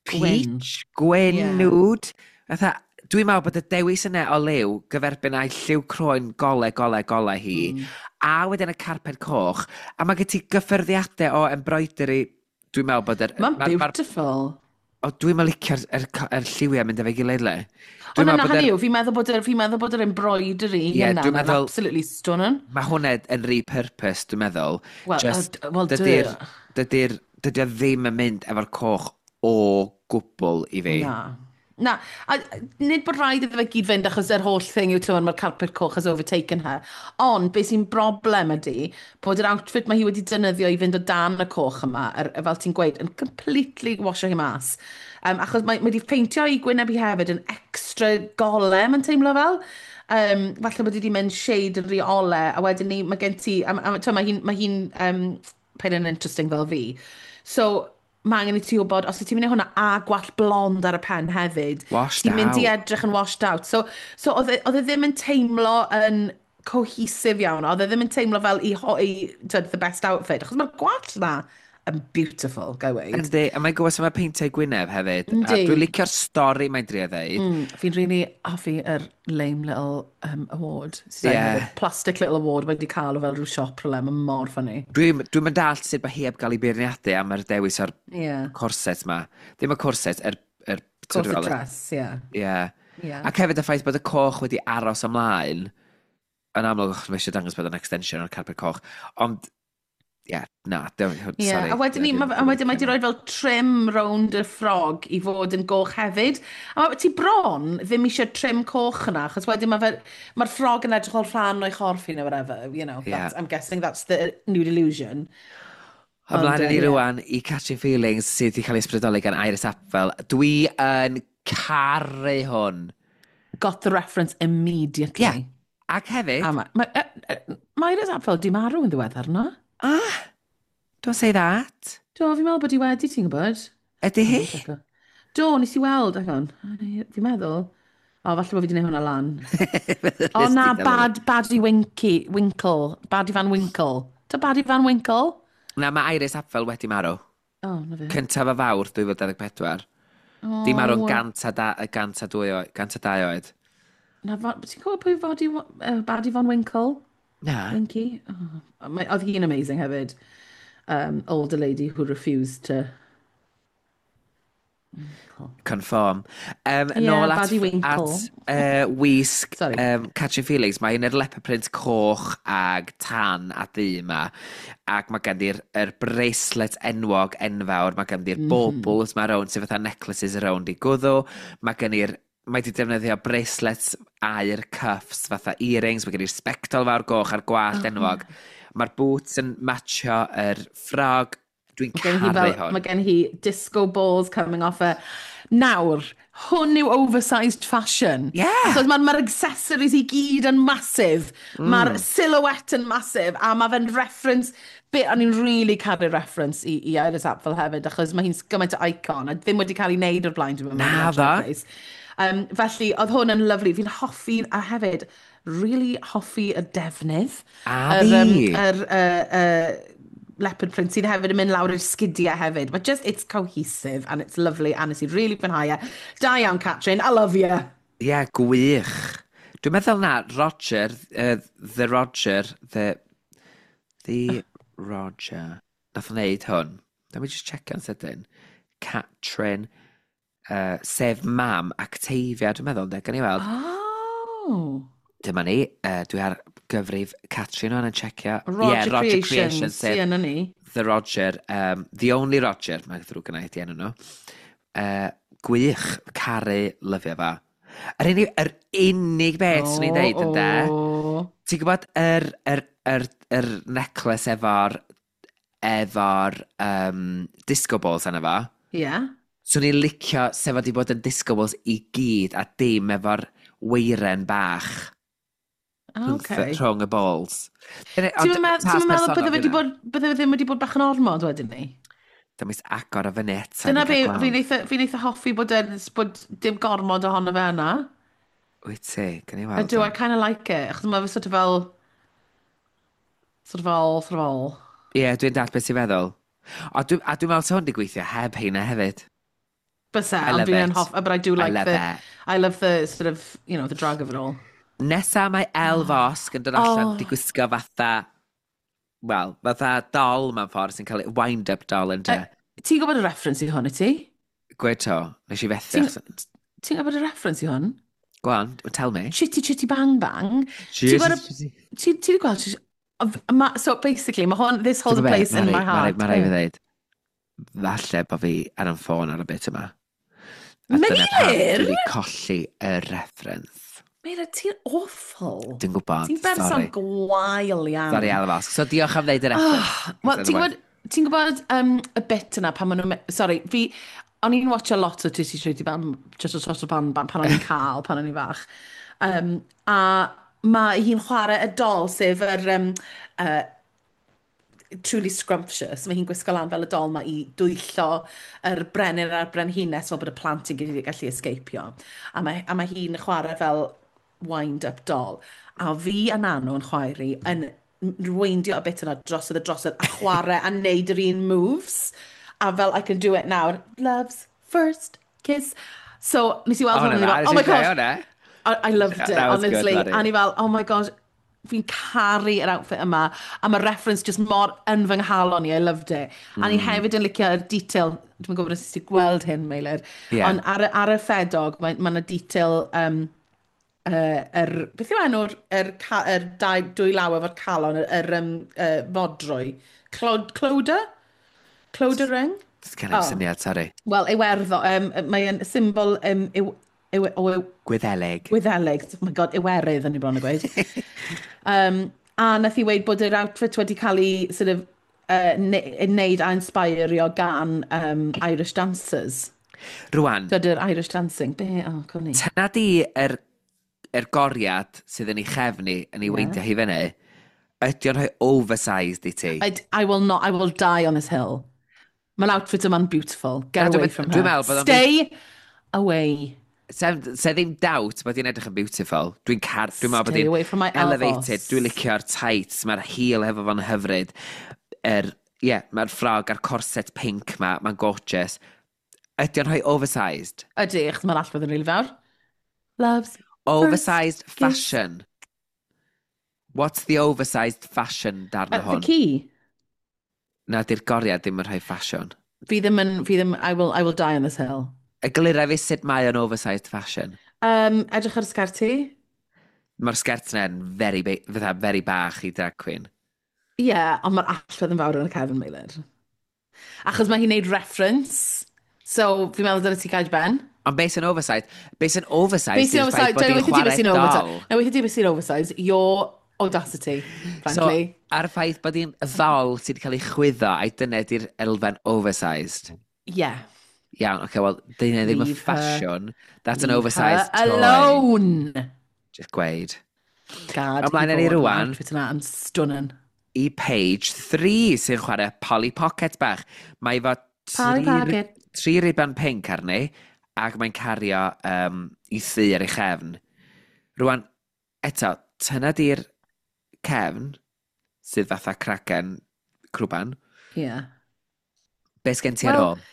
Gwyn. peach, gwyn, nude. Fatha, dwi'n meddwl bod y dewis yna o liw gyferbyn â'i lliw croen gole, gole, gole hi, a wedyn y carpet coch, a mae gen ti gyffyrddiadau o embroidery, dwi'n meddwl bod yr Mae'n beautiful. O, dwi'n meddwl licio'r er lliwiau mynd efo'i gilydd le. O, Dwi'n na, meddwl na, bod hynny yr yw, fi'n meddwl bod yr embroidery yna, dwi'n mae'n absolutely stunning. Mae hwnna yn repurpose, dwi'n meddwl. Wel, Just, well, duh. Dydy o ddim yn mynd efo'r coch o gwbl i fi. Na. Na, a nid bod rhaid iddo fe gyd fynd achos yr holl thing yw, ti'n mae'r carpet coch has overtaken her. Ond beth sy'n broblem ydy bod yr outfit mae hi wedi defnyddio i fynd o dan y coch yma, fel ti'n gweud, yn completely washo hi mas. Achos mae wedi peintio ei gwyneb hi hefyd yn extra gole, mae'n teimlo fel. Falle bod hi wedi mynd shade yn rhy ole, a wedyn ni, mae gen ti, a, t'mo, mae hi'n paid yn interesting fel fi. So, mae angen i ti wybod, os wyt ti'n mynd i hwnna a gwallt blond ar y pen hefyd, Washed ti'n mynd i out. edrych yn washed out. So oedd e ddim yn teimlo yn cohesive iawn, oedd e ddim yn teimlo fel i t'wod, the best outfit, achos mae'r gwallt na yn beautiful, ga i weud. Yndi, a mae'n gwybod sut mae peintio gwyneb hefyd. A Yndi. dwi'n licio'r stori mae'n drio ddeud. Fi'n really hoffi yr lame little award. Sydd Plastic little award mae wedi cael o fel rhyw siop rhywle, mae'n mor funny. Dwi'n dwi mynd dallt sut mae hi heb gael ei beirniadu am yr dewis o'r corset ma. Ddim y corset, yr Corset dress, ie. Ie. Yeah. Ac hefyd y ffaith bod y coch wedi aros ymlaen, yn amlwg, achos mae eisiau dangos bod yn extension o'r carpet coch. Ond, ie, yeah, na, sorry. A wedyn ni, a wedyn mae wedi rhoi fel trim rownd y ffrog i fod yn goch hefyd. A mae ti bron ddim eisiau trim coch yna, achos wedyn mae'r ffrog yn edrych fel rhan o'i chorff hi neu whatever, I'm guessing that's the nude illusion. Ymlaen Ond, â ni ie. rwan i Catching Feelings sydd wedi cael ei ysbrydoli gan Iris Apfel. Dwi yn caru hwn. Got the reference immediately. Ie. Ac hefyd, A mae Iris Apfel di marw yn ddiweddar, na? Ah, don't say that. Do, fi'n meddwl bod hi wedi, ti'n gwybod? Ydy hi? Do, nes i weld, hang on. Fi'n meddwl. O, falle bod fi wedi gwneud hwnna lan. O na, Baddie Winky, Winkle. Baddie Van Winkle. Do Baddie Van Winkle? Na, mae Iris Apfel wedi marw. O, na fe. Cyntaf o Fawrth 2024. O, Di marw'n 102 oed. 102 oed. Na, ti'n gwybod pwy Baddie Van Winkle? Na. Winky? Oh, oedd hi'n amazing hefyd. Older lady who refused to Conform. Yeah, nôl at, Baddie Winkle. at wisg Sorry. Catching Feelings. Mae un yr leopard print coch ag tan a du yma. Ac mae ganddi'r yr bracelet enwog enfawr. Mae ganddi'r baubles ma rownd, sydd fatha necklaces rownd i gwddw. Mae wedi defnyddio bracelets aur cuffs fatha earrings. Mae gen i'r sbectol fawr goch a'r gwallt enwog. Mae'r boots yn matcho yr ffrog. Dwi'n Mae gen hi caru fel, hwn. mae gen hi disco balls coming off her. Nawr, hwn yw oversized fashion. Achos mae'r ma accessories i gyd yn massive. Mae'r silhouette yn massive. A mae fe'n reference. Be, o'n i'n really caru reference i Iris Apfel hefyd, achos mae hi'n gymaint o icon, a ddim wedi cael ei wneud o'r blaen, dwi'n meddwl. Naddo. Felly, oedd hwn yn lovely. Fi'n hoffi, a hefyd, really hoffi y defnydd. A Yr, fi. Yr leopard print sydd hefyd yn mynd lawr i'r sgidiau hefyd. But just, it's cohesive and it's lovely and nes i really fwynhau e. Da iawn, Catrin. I love you. Ie, yeah, gwych. Dwi'n meddwl na, Roger, the Roger, the Roger, nath wneud hwn. Let me just check yn sydyn. Catrin, sef mam Octavia, dwi'n meddwl, de, gan i weld. Oh. Dyma ni, dwi ar gyfrif Catrin o'n yn checio. Roger, yeah, Roger Creations. Creations, sef Ie, na ni. The Roger, The Only Roger, mae'n ddrwg gynna i di enw nhw. Gwych, caru, lyfio fo. Yr unig beth swn i'n deud yn de, Oh. ti'n gwybod yr necklace efo'r disco balls yna fo? Yeah. Swn i'n licio sef wedi bod yn disco balls i gyd a dim efo'r weiren bach rhwng y balls. Ti'n meddwl bydde wedi bod, bydde ddim wedi bod bach yn ormod wedyn ni? Dyma is agor o fyny eto. Dyna I be, gael gweld. fi'n eitha hoffi bod dim gormod ohono fe yna. Wyt ti, gan i weld. Ydw, I kind of like it. Achos mae fe sort of fel... Sort of fel, sort of fel. Ie, yeah, dwi'n dall beth ti'n feddwl. A dwi'n meddwl sa hwn wedi gweithio heb heina hefyd. Byse, I ond love fi'n it. hoff, but I do like I love the it. I love the sort of, the drag of it all. Nesa mae Elle Vosque yn dod allan Oh. di gwisgo fatha, wel, fatha doll mewn ffordd sy'n cael ei wind-up doll yn de. Ti'n gwybod y reference i hwn i ti? Gweud to, nes i fethu. Ti'n gwybod y reference i hwn? Go on, tell me. Chitty Chitty Bang Bang. Ti'n Ti'n Ti wedi gweld? So basically, mae hwn, this holds a place in my heart. Mae rhaid fi dweud, falle bod fi ar yn ffôn ar y bit yma. A dyna pam Meilir! dwi wedi colli y reference. Meilir, ti'n awful. Dwi'n gwybod, Ti'n berson sorry. gwael iawn. Sorry, Elle Vosque. So diolch am ddeud y reference. Wel, ti'n gwybod y bit yna pan maen nhw'n... Sorry, fi... O'n i'n watch a lot o Chitty Chitty Bang, Chitty Chitty Bang Bang pan o'n i'n cael, pan o'n i'n fach. A mae hi'n chwarae y dol, sef yr Truly Scrumptious. Mae hi'n gwisgo lan fel y dol ma i dwyllo yr brenin a'r brenhines fel bod y plant yn gallu escapio. A mae hi'n chwarae fel wind-up doll. A fi a Nanw yn chwaer i yn rweindio y bit yna drosodd a drosodd a chwarae a neud yr un moves. A fel, "I can do it now. Love's first kiss." So, nes i weld hwn, a o'n i fel, "Oh my God." I loved it, That was good, honestly. Mari. A ni fel, "Oh my God, fi'n caru yr outfit yma." A mae'r reference just mor yn fy nghalon i, I loved it. A ni hefyd yn licio'r detail, dwi'n gwybod os ti gweld hyn, Meilir, ond ar y ffedog, mae ma 'na detail, beth yw enw'r yr dau, dwy law efo'r calon, yr fodrwy? Clodagh? Clodagh ring? Sgen i'm Oh. syniad, sorry. Wel, Iwerddo, mae'n symbol yw, yw, o Gwyddelig. Gwyddelig, oh my God, Iwerydd yn i bron o gweud. A nath i weud bod yr outfit wedi cael ei sort of, neud a inspirio gan Irish dancers. Rwan, Dydy'r Irish dancing. Be? Oh, cwni. tyna di yr goriad sydd yn ei chefni yn ei weindio hi fyny, ydy o'n rhoi oversized i ti? I will not, I will die on this hill. Mae'r outfit yma'n beautiful. Get Na, away from her. dwi'n meddwl bod o'n Stay away. Se ddim doubt bod hi'n edrych yn beautiful. Dwi'n meddwl bod Stay hi'n away from my elevated. elbows. Dwi'n licio'r tights, mae'r heel hefo fo'n hyfryd. Yeah, mae'r ffrog a'r corset pink ma, mae'n gorgeous. Ydy o'n rhoi oversized? Ydy, achos mae'r allwedd yn rili fawr. Love's Oversized kiss. fashion. What's the oversized fashion darn o The hwn? key. Na, di'r goriad ddim yn rhoi fashion. Fi ddim yn, fi ddim, I will die on this hill. Eglura fi sut mae o'n oversized fashion. Edrych ar y sgert ti. Mae'r sgert yna'n very, fatha very bach i drag queen. Ie, yeah, ond mae'r allwedd yn fawr yn y cefn, Meilir. Achos mae hi'n neud reference. So, fi'n meddwl dyle ti gael ben. Ond beth sy'n oversized? Beth sy'n oversized Beth sy'n yw'r ffaith oversized? bod Dyna hi'n weithio ti beth chwarae sy'n dol. oversized. Na weithio ti beth sy'n oversized. Your audacity, frankly. So, ar y ffaith bod hi'n ddol sydd wedi cael ei chwyddo, a'i dyna di'r elfen oversized. Yeah. Iawn, oce, okay, wel, dyna ddim yn Leave her, ffasiwn. That's an leave her oversized toy. alone! Just gweud. Gad i Ymlaen â ni fod, mae'r rwan outfit yna yn stunning. I page 3 sy'n chwarae Polly Pocket bach. Mae efo Polly Pocket. Tri riban pink arni, ac mae'n cario i thŷ ar ei chefn. Rwan, eto, tyna di'r cefn, sydd fatha cragen crwban. Be sgen ti ar Wel, ôl?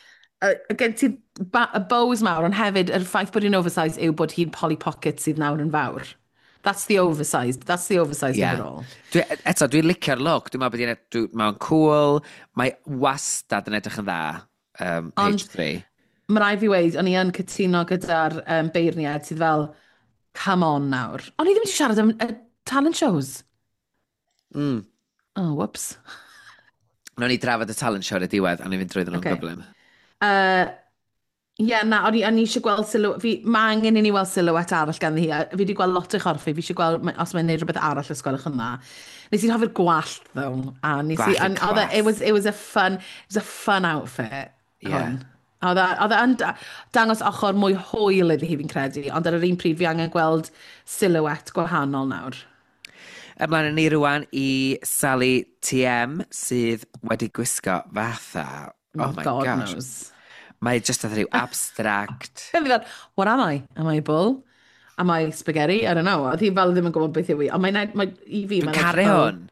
Gen ti y bows mawr, ond hefyd, yr ffaith bod hi'n oversized yw bod hi'n Polly Pocket sydd nawr yn fawr. That's the oversized. That's the oversized of it all. Dwi, eto, dwi'n licio'r look. Dwi'n meddwl bod hi'n mae'n cool. Mae wastad yn edrych yn dda. Ond Page 3. Mae rhaid fi weud, o'n i yn cytuno gyda'r beirniad sydd fel, "Come on nawr." O'n i ddim wedi siarad am talent shows. Oh, whoops. Nawn ni drafod y talent show ar y diwedd, a ni fynd drwy nhw'n gyflym. Ie, na, o'n i eisiau gweld sylw, fi, mae angen i ni weld silhouette arall ganddi hi. A fi wedi gweld lot o'i chorff hi, fi eisiau gweld os mae'n neud rhywbeth arall os gwelwch yn dda. Nes i'n hoffi'r gwallt, though. A nes i, Gwallt yn and oedd e- class. It was a fun outfit, hwn. A oedd e yn dangos ochr mwy hwyl iddi hi, fi'n credu, ond ar yr un pryd fi angen gweld silhouette gwahanol nawr. Ymlaen â ni rwan i Sally TM, sydd wedi gwisgo fatha. Oh my God gosh. knows. Mae just fatha rhyw abstract. Fi fel, "What am I? Am I a bull? Am I spaghetti? I don't know." Oedd hi fel ddim yn gwybod beth yw i. Ond mae'n, mae, i fi, Dwi'n mae'n caru edrych fel- hwn.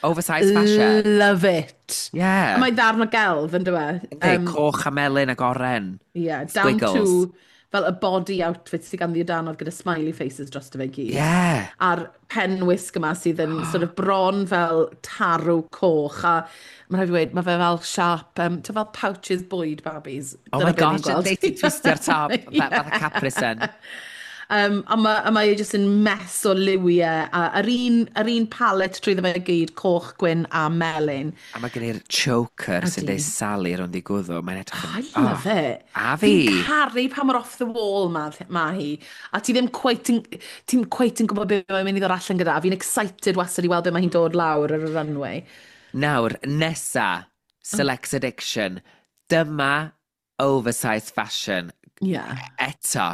Oversized fashion. Love it. Yeah. A mae ddarn o gelf, yn dweud. Yndi, coch a melyn ac oren. Yeah, down Squiggles. to fel y body outfit sydd ganddi o danodd gyda smiley faces dros fe gyd. A'r penwisg yma sydd yn sort of bron fel tarw coch. A mae'n rhaid i weud, mae fe fel sharp, ti'n fel pouches bwyd babis. Oh Dyna my be ni'n gosh, gweld. yndi, ti'n twistio'r top, fatha Capri Sun. A mae e jyst yn mess o liwiau, a yr un palette trwyddo fe gyd, coch, gwyn a melyn. A mae gen i'r choker sy'n Ydi. deud Sally rownd i gwddw. Mae'n edrych yn I love it. A fi. Fi'n caru pa mor off the wall ma hi. A ti ddim quite yn, ti'n quite yn gwybod beth mae'n mynd i ddod allan gyda. A fi'n excited wastad i weld beth mae hi'n dod lawr ar y runway. Nawr, nesa, Select Addiction. Dyma oversized fashion. Eto,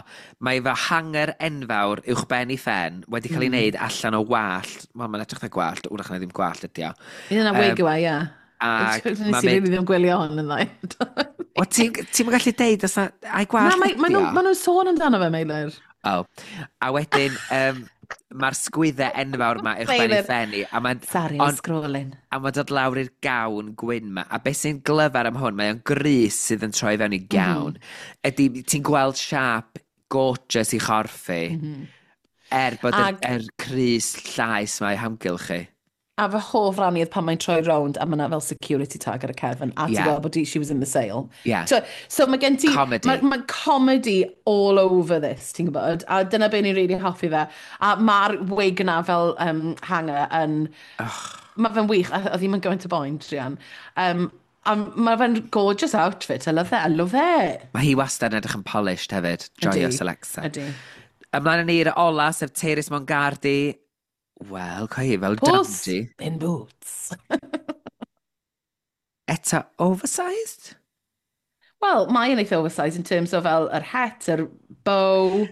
mae fy hanger enfawr uwch ben i phen wedi cael ei wneud allan o wallt. Wel, mae'n edrych fatha gwallt, wrach na ddim gwallt ydi o. Un yna wig yw e, ie. Ac Nes mae'n i mynd really ddim gwylio hwn yn dda. O, ti'n gallu deud os na ai gwallt Na, ydi o? ma nhw'n sôn amdano fe, Meilir. Oh. A wedyn, mae'r sgwyddau enfawr ma uwch ben i Meilir. phen i. A mae'n Sorry, I'm scrolling. A mae'n dod lawr i'r gawn gwyn ma. A beth sy'n glyfar am hwn, mae o'n grys sydd yn troi fewn i gawn. Ydy, ti'n gweld siap gorgeous i chorff hi, er bod yr crys llaes mae hamgylch chi. A fy hoff ran i oedd pan mae'n troi rownd a mae yna fel security tag ar y cefn a ti'n gweld bod she was in the sale. So mae gen ti Comedy. Mae comedy all over this, ti'n gwybod? A dyna be ni'n really hoffi fe. A mae'r wig yna fel hanger yn mae fe'n wych, a oedd hi'n mynd gymaint o boen, druan. A mae fe'n gorgeous outfit, I love it, I love it. Mae hi wastad yn edrych yn polished hefyd. Joio Alexa. Ydy. Ymlaen â ni i'r ola, sef Tayris Mongardi. Wel, coi hi fel Puss dandy. in boots. Eto, oversized? Wel, mae yn eitha oversized in terms of fel yr het, yr bow,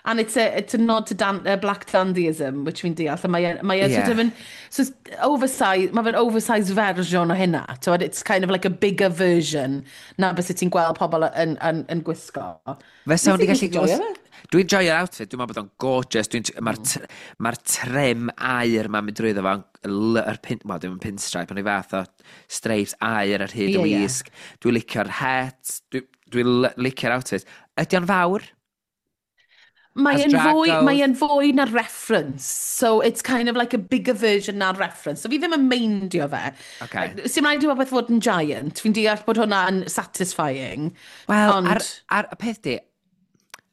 and it's a nod to black dandyism, which fi'n deall. A mae e sort of yn, so it's oversized, mae fe'n oversized version o hynna. T'wod, it's kind of like a bigger version na bys ti'n gweld pobl yn gwisgo. Fysa Nes hwn i di gallu joio fe. Dwi'n joio'r outfit, dwi'n meddwl bod o'n gorgeous. Mae'r trim aur ma'n mynd drwyddo fo, yr pin, wel, dwi'n pinstripe, ond i fath o stripes aur ar hyd y Ie, ie. wisg. Dwi'n licio'r het, dwi licio'r outfit. Ydy o'n fawr? Mae As e'n drag fwy, goes. mae e'n fwy na reference. So it's kind of like a bigger version na'r reference. So fi ddim yn meindio fe. Sy'n rhaid i rhywbeth fod yn giant. Fi'n deall bod hwnna yn satisfying. Wel, Ond ar y peth di,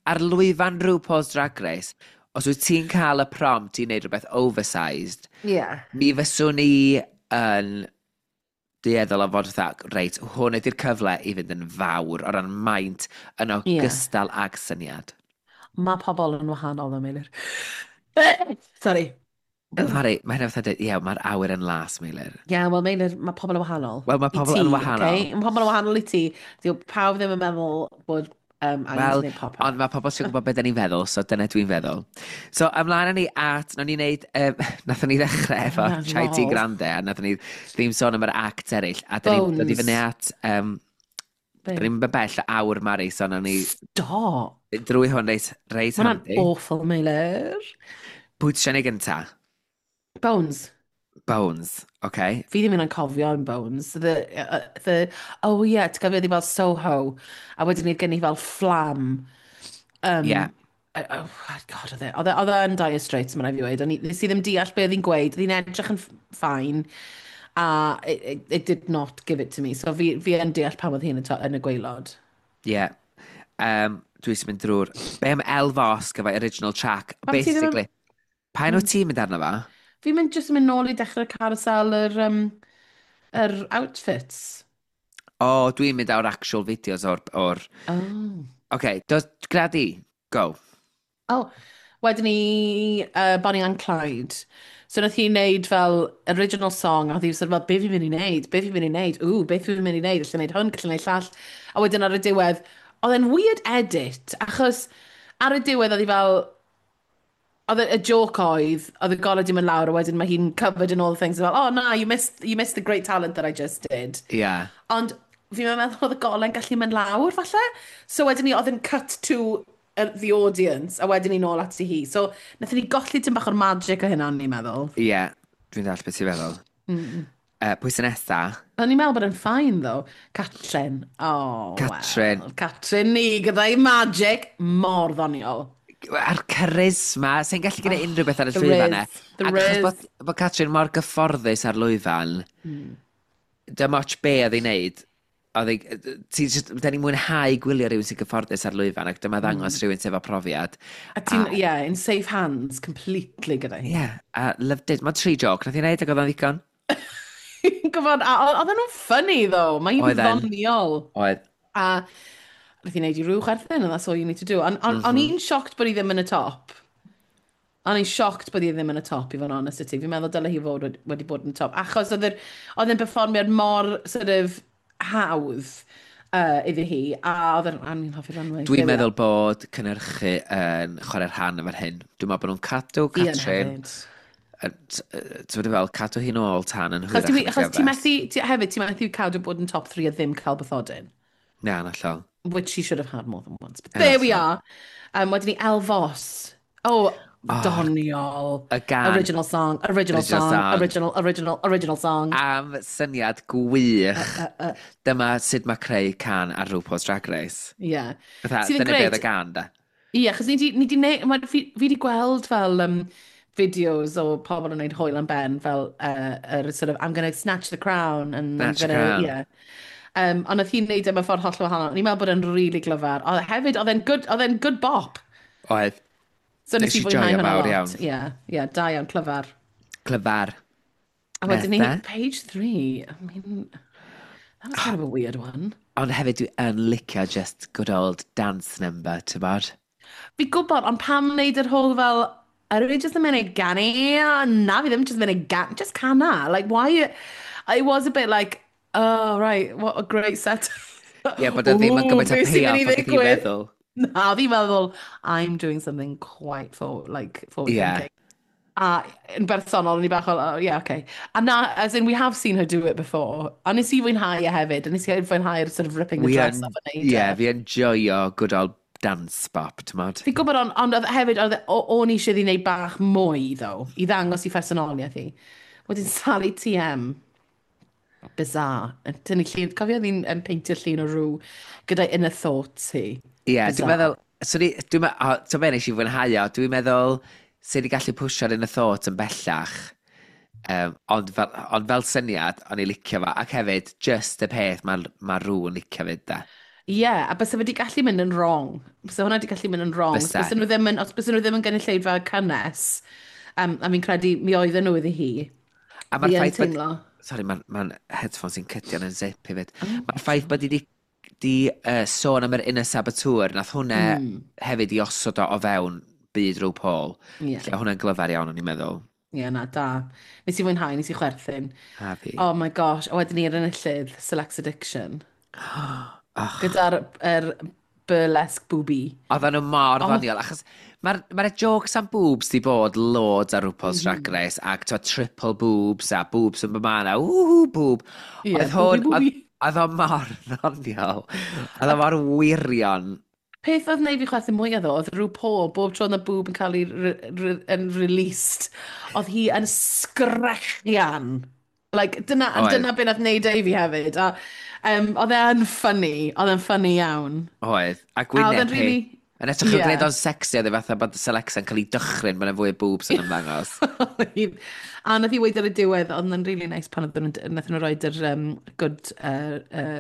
ar lwyfan RuPaul's Drag Race, os wyt ti'n cael y prompt i wneud rhywbeth oversized, mi fyswn i yn dueddol o fod fatha, reit, hwn ydy'r cyfle i fynd yn fawr o ran maint yn ogystal ag syniad. Mae pobl yn wahanol ddo, Meilir. Sorry. Mari, mae hynna fatha dweud, ie, mae'r awyr yn las, Meilir. Ie, yeah, wel, Meilir, mae pobl yn wahanol. Wel, mae I pobl ti, yn wahanol. Okay? Mae pobl yn wahanol i ti. Dyw pawb ddim yn meddwl bod angen Wel, gwneud pop-up. Ond mae pobl sy'n gwybod beth da ni'n feddwl, so dyna dwi'n feddwl. So, ymlaen â ni at, nawn ni wneud, nathon ni ddechrau efo Oh, Chai Tea lol. Grande, a nathon ni ddim sôn am yr act eraill, a da ni'n dod i Bones. fyny at, Be? da ni'n bell o awr, Mari, so nawn ni Stop. drwy hwn reit Mae hwnna'n handi. awful, Meilir. Pwy ti eisiau neud gynta? Bones. Bones, okay. Fi ddim yn cofio yn Bones. The, oh yeah, ti'n cofio, oedd hi fel Soho, a wedyn ni gen i fel fflam. Oh, God, oedd e yn Dire Straits, mae'n rhaid fi weud. Nes i ddim deall be oedd hi'n gweud. Oedd hi'n edrych yn fine, a it did not give it to me. So fi yn deall pam oedd hi yn y gwaelod. Ie. Yeah. Dwi eisiau mynd drwy'r... Be am Elle Vosque efo original track? Pam ti ddim yn- Basically, pa enw ti'n mynd arno fo? Fi'n mynd jyst yn mynd nôl i dechrau'r carousel yr outfits. O, oh, dwi'n mynd o'r actual videos o'r. Oh. OK, dos, gyda di. Go. Oh, wedyn ni Bonnie and Clyde. So nath hi wneud fel original song, a oedd hi sort of fel, "Be fi'n mynd i wneud? Be fi'n mynd i wneud? Ww, beth fi'n mynd i wneud? Allai wneud hwn, gallai wneud llall." A wedyn ar y diwedd, oedd e'n weird edit, achos ar y diwedd oedd hi fel, oedd y joke oedd, oedd y golau di mynd lawr, a wedyn mae hi'n covered in all the things, fel, "Oh na, you missed the great talent that I just did." Ond fi'n meddwl oedd y golau'n gallu mynd lawr, falle. So wedyn ni, oedd yn cut to the audience, a wedyn ni nôl ati hi. So, nathon ni golli tym bach o'r magic o hynna, o'n i'n meddwl. Ie, yeah, dwi'n dall beth ti'n feddwl. Pwy sy'n nesa? O'n i'n meddwl bod yn fine, though. Catrin. Oh, Catrin. Well. Catrin ni, gyda'i magic, mor ddoniol. A'r charisma, sy'n gallu gwneud unrhyw beth ar y the llwyfan e. rizz, the Ac achos rizz. bod Catrin mor gyfforddus ar lwyfan, dim ots be oedd hi'n neud, oedd hi, ti just, da ni'n mwynhau gwylio rhywun sy'n gyfforddus ar lwyfan, ac dyma ddangos rhywun sydd efo profiad. A ti'n, yeah, in safe hands, completely gyda hi. Ie, yeah, a loved it. Mae tri joke, nath hi'n neud ac oedd o'n ddigon. Gwybod, a oedden nhw'n funny, though. Mae hi'n Oedden. ddoniol. Oedd. A nath hi wneud i rhyw chwerthin, and that's all you need to do. O'n i'n shocked bod hi ddim yn y top. O'n i'n shocked bod hi ddim yn y top, i fod yn honest i ti. Fi'n meddwl dyle hi fod wedi bod yn y top. Achos oedd e'n perfformiad mor sort of hawdd iddi hi, a oedd e'n, o'n i'n hoffi'r runway. Dwi'n There we meddwl bod cynhyrchu yn chwarae rhan efo'r hyn. Dwi'n meddwl bod nhw'n cadw are. Fi yn Catrin, hefyd. Ti'n meddwl fel, cadw hi'n ôl tan yn Achos, hwyrach yn y achos ti gyfres. methu, hefyd, ti'n methu cadw bod yn top 3 a ddim cael bathodyn. Na, yn hollol. Which she should have had more than once. But there we are. Wedyn ni Elle Vos. Oh, doniol. Y gan. Original song, original, Original song, song. Original, original, original song. Am syniad gwych. Dyma sut mae creu cân ar RuPaul's Drag Race. Yeah. Fatha, Sydd yn dyna be oedd grêt. y gân, da. Ie, achos ni di fi di gweld fel videos o pobl yn gwneud hwyl am ben, fel yr sort of, "I'm gonna snatch the crown." And Snatch I'm the gonna, crown. Yeah. Ond oedd hi'n neud e mewn ffordd hollol wahanol. O'n i'n meddwl bod e'n really glyfar. Oedd hefyd, oedd e'n good bop. Oedd. So nes Nes i i fwynhau joio hwnna mawr lot. iawn. Ie, yeah, da iawn, clyfar. Clyfar. A wedyn ni, Nesa? Page 3. I mean, that was kind of a weird one. Ond hefyd dwi yn licio just good old dance number, ti'n bod? Fi gwybod, ond pam wneud yr whole fel, "Ydw i just yn mynd i ganu? Na, fi ddim just yn mynd i ganu, just cana." Like, why? It was a bit like, "Oh, right, what a great set." Ie, yeah, bod o ddim yn Ooh, gymaint o beth sy'n mynd i payoff ag ydw i'n ddigwydd? feddwl. Na, fi'n meddwl, "I'm doing something quite for, like, forward thinking." A yn bersonol, o'n i bach o, "Oh, yeah, okay." A na, as in, we have seen her do it before. A nes i fwynhau e hefyd, a nes i fwynhau'r sort of ripping the We dress yn, off yn neud ie, e. fi yn joio good old dance bop, ti'n bod? Fi'n gwybod, ond oedd hefyd, oedd, o'n i eisiau iddi wneud bach mwy, though, i ddangos i phersonoliaeth hi. Wedyn Sally TM. Bizarre. Yn tynnu llun, cofio oedd hi'n yn peintio llun o rhyw gyda inner thoughts hi. Ie, yeah, dwi'n Bizarre. meddwl, so ni, dwi'n meddwl, o, ti'n meddwl nes i fwynhau o, dwi'n meddwl, sydd wedi gallu pwsio'r inner thought yn bellach, ond fel syniad, o'n i licio fo, ac hefyd, just y peth mae ma rhywun licio fyd, da. Ie, yeah, a bysa fe wedi gallu mynd yn wrong. Bysa hwnna wedi gallu mynd yn wrong. Bysa. Bysa nhw ddim yn, os bysa nhw ddim yn gynulleidfa cynnes, a fi'n credu mi oedden nhw iddi hi. A mae'r Fi yn ffaith bod teimlo. Sorry, mae'r ma headphones sy'n cydio yn zip hefyd. Mae'r ffaith bod i di sôn am yr inner saboteur, nath hwnna hefyd i osod o o fewn byd RuPaul. Ie. Lle hwnna'n glyfar iawn, o'n i'n meddwl. Ie, yeah, na, da. Nes i fwynhau, nes i chwerthin. A fi. Oh my gosh, a wedyn ni'r enillydd, Selects Addiction. Oh. Gyda'r burlesque booby. Oedden nhw mor ddoniol, achos mae'r ma jokes am boobs di bod loads ar RuPaul's Drag Race, ac twa, triple boobs a boobs yn byma, woohoo boob. Yeah, Oedd hwn, booby, booby. Oedd o mor ddoniol. Oedd o mor wirion. Peth oedd wneud fi chwerthin mwyaf ddo, oedd RuPaul, bob tro oedd y boob yn cael ei yn released, oedd hi yn sgrechian. Like, dyna, Oedd. dyna beth nath wneud ei fi hefyd. A, oedd e'n funny, oedd e'n funny iawn. Oedd. A A oedd gwyneb e'n hi. really. Yn edrych yn gwneud o'n sexy, oedd e fatha bod Selexa yn cael ei dychryn bod yna fwy o boobs yn ymddangos. A nath i weid ar y diwedd, oedd yn really nice pan oedden nhw'n, nath nhw roed yr good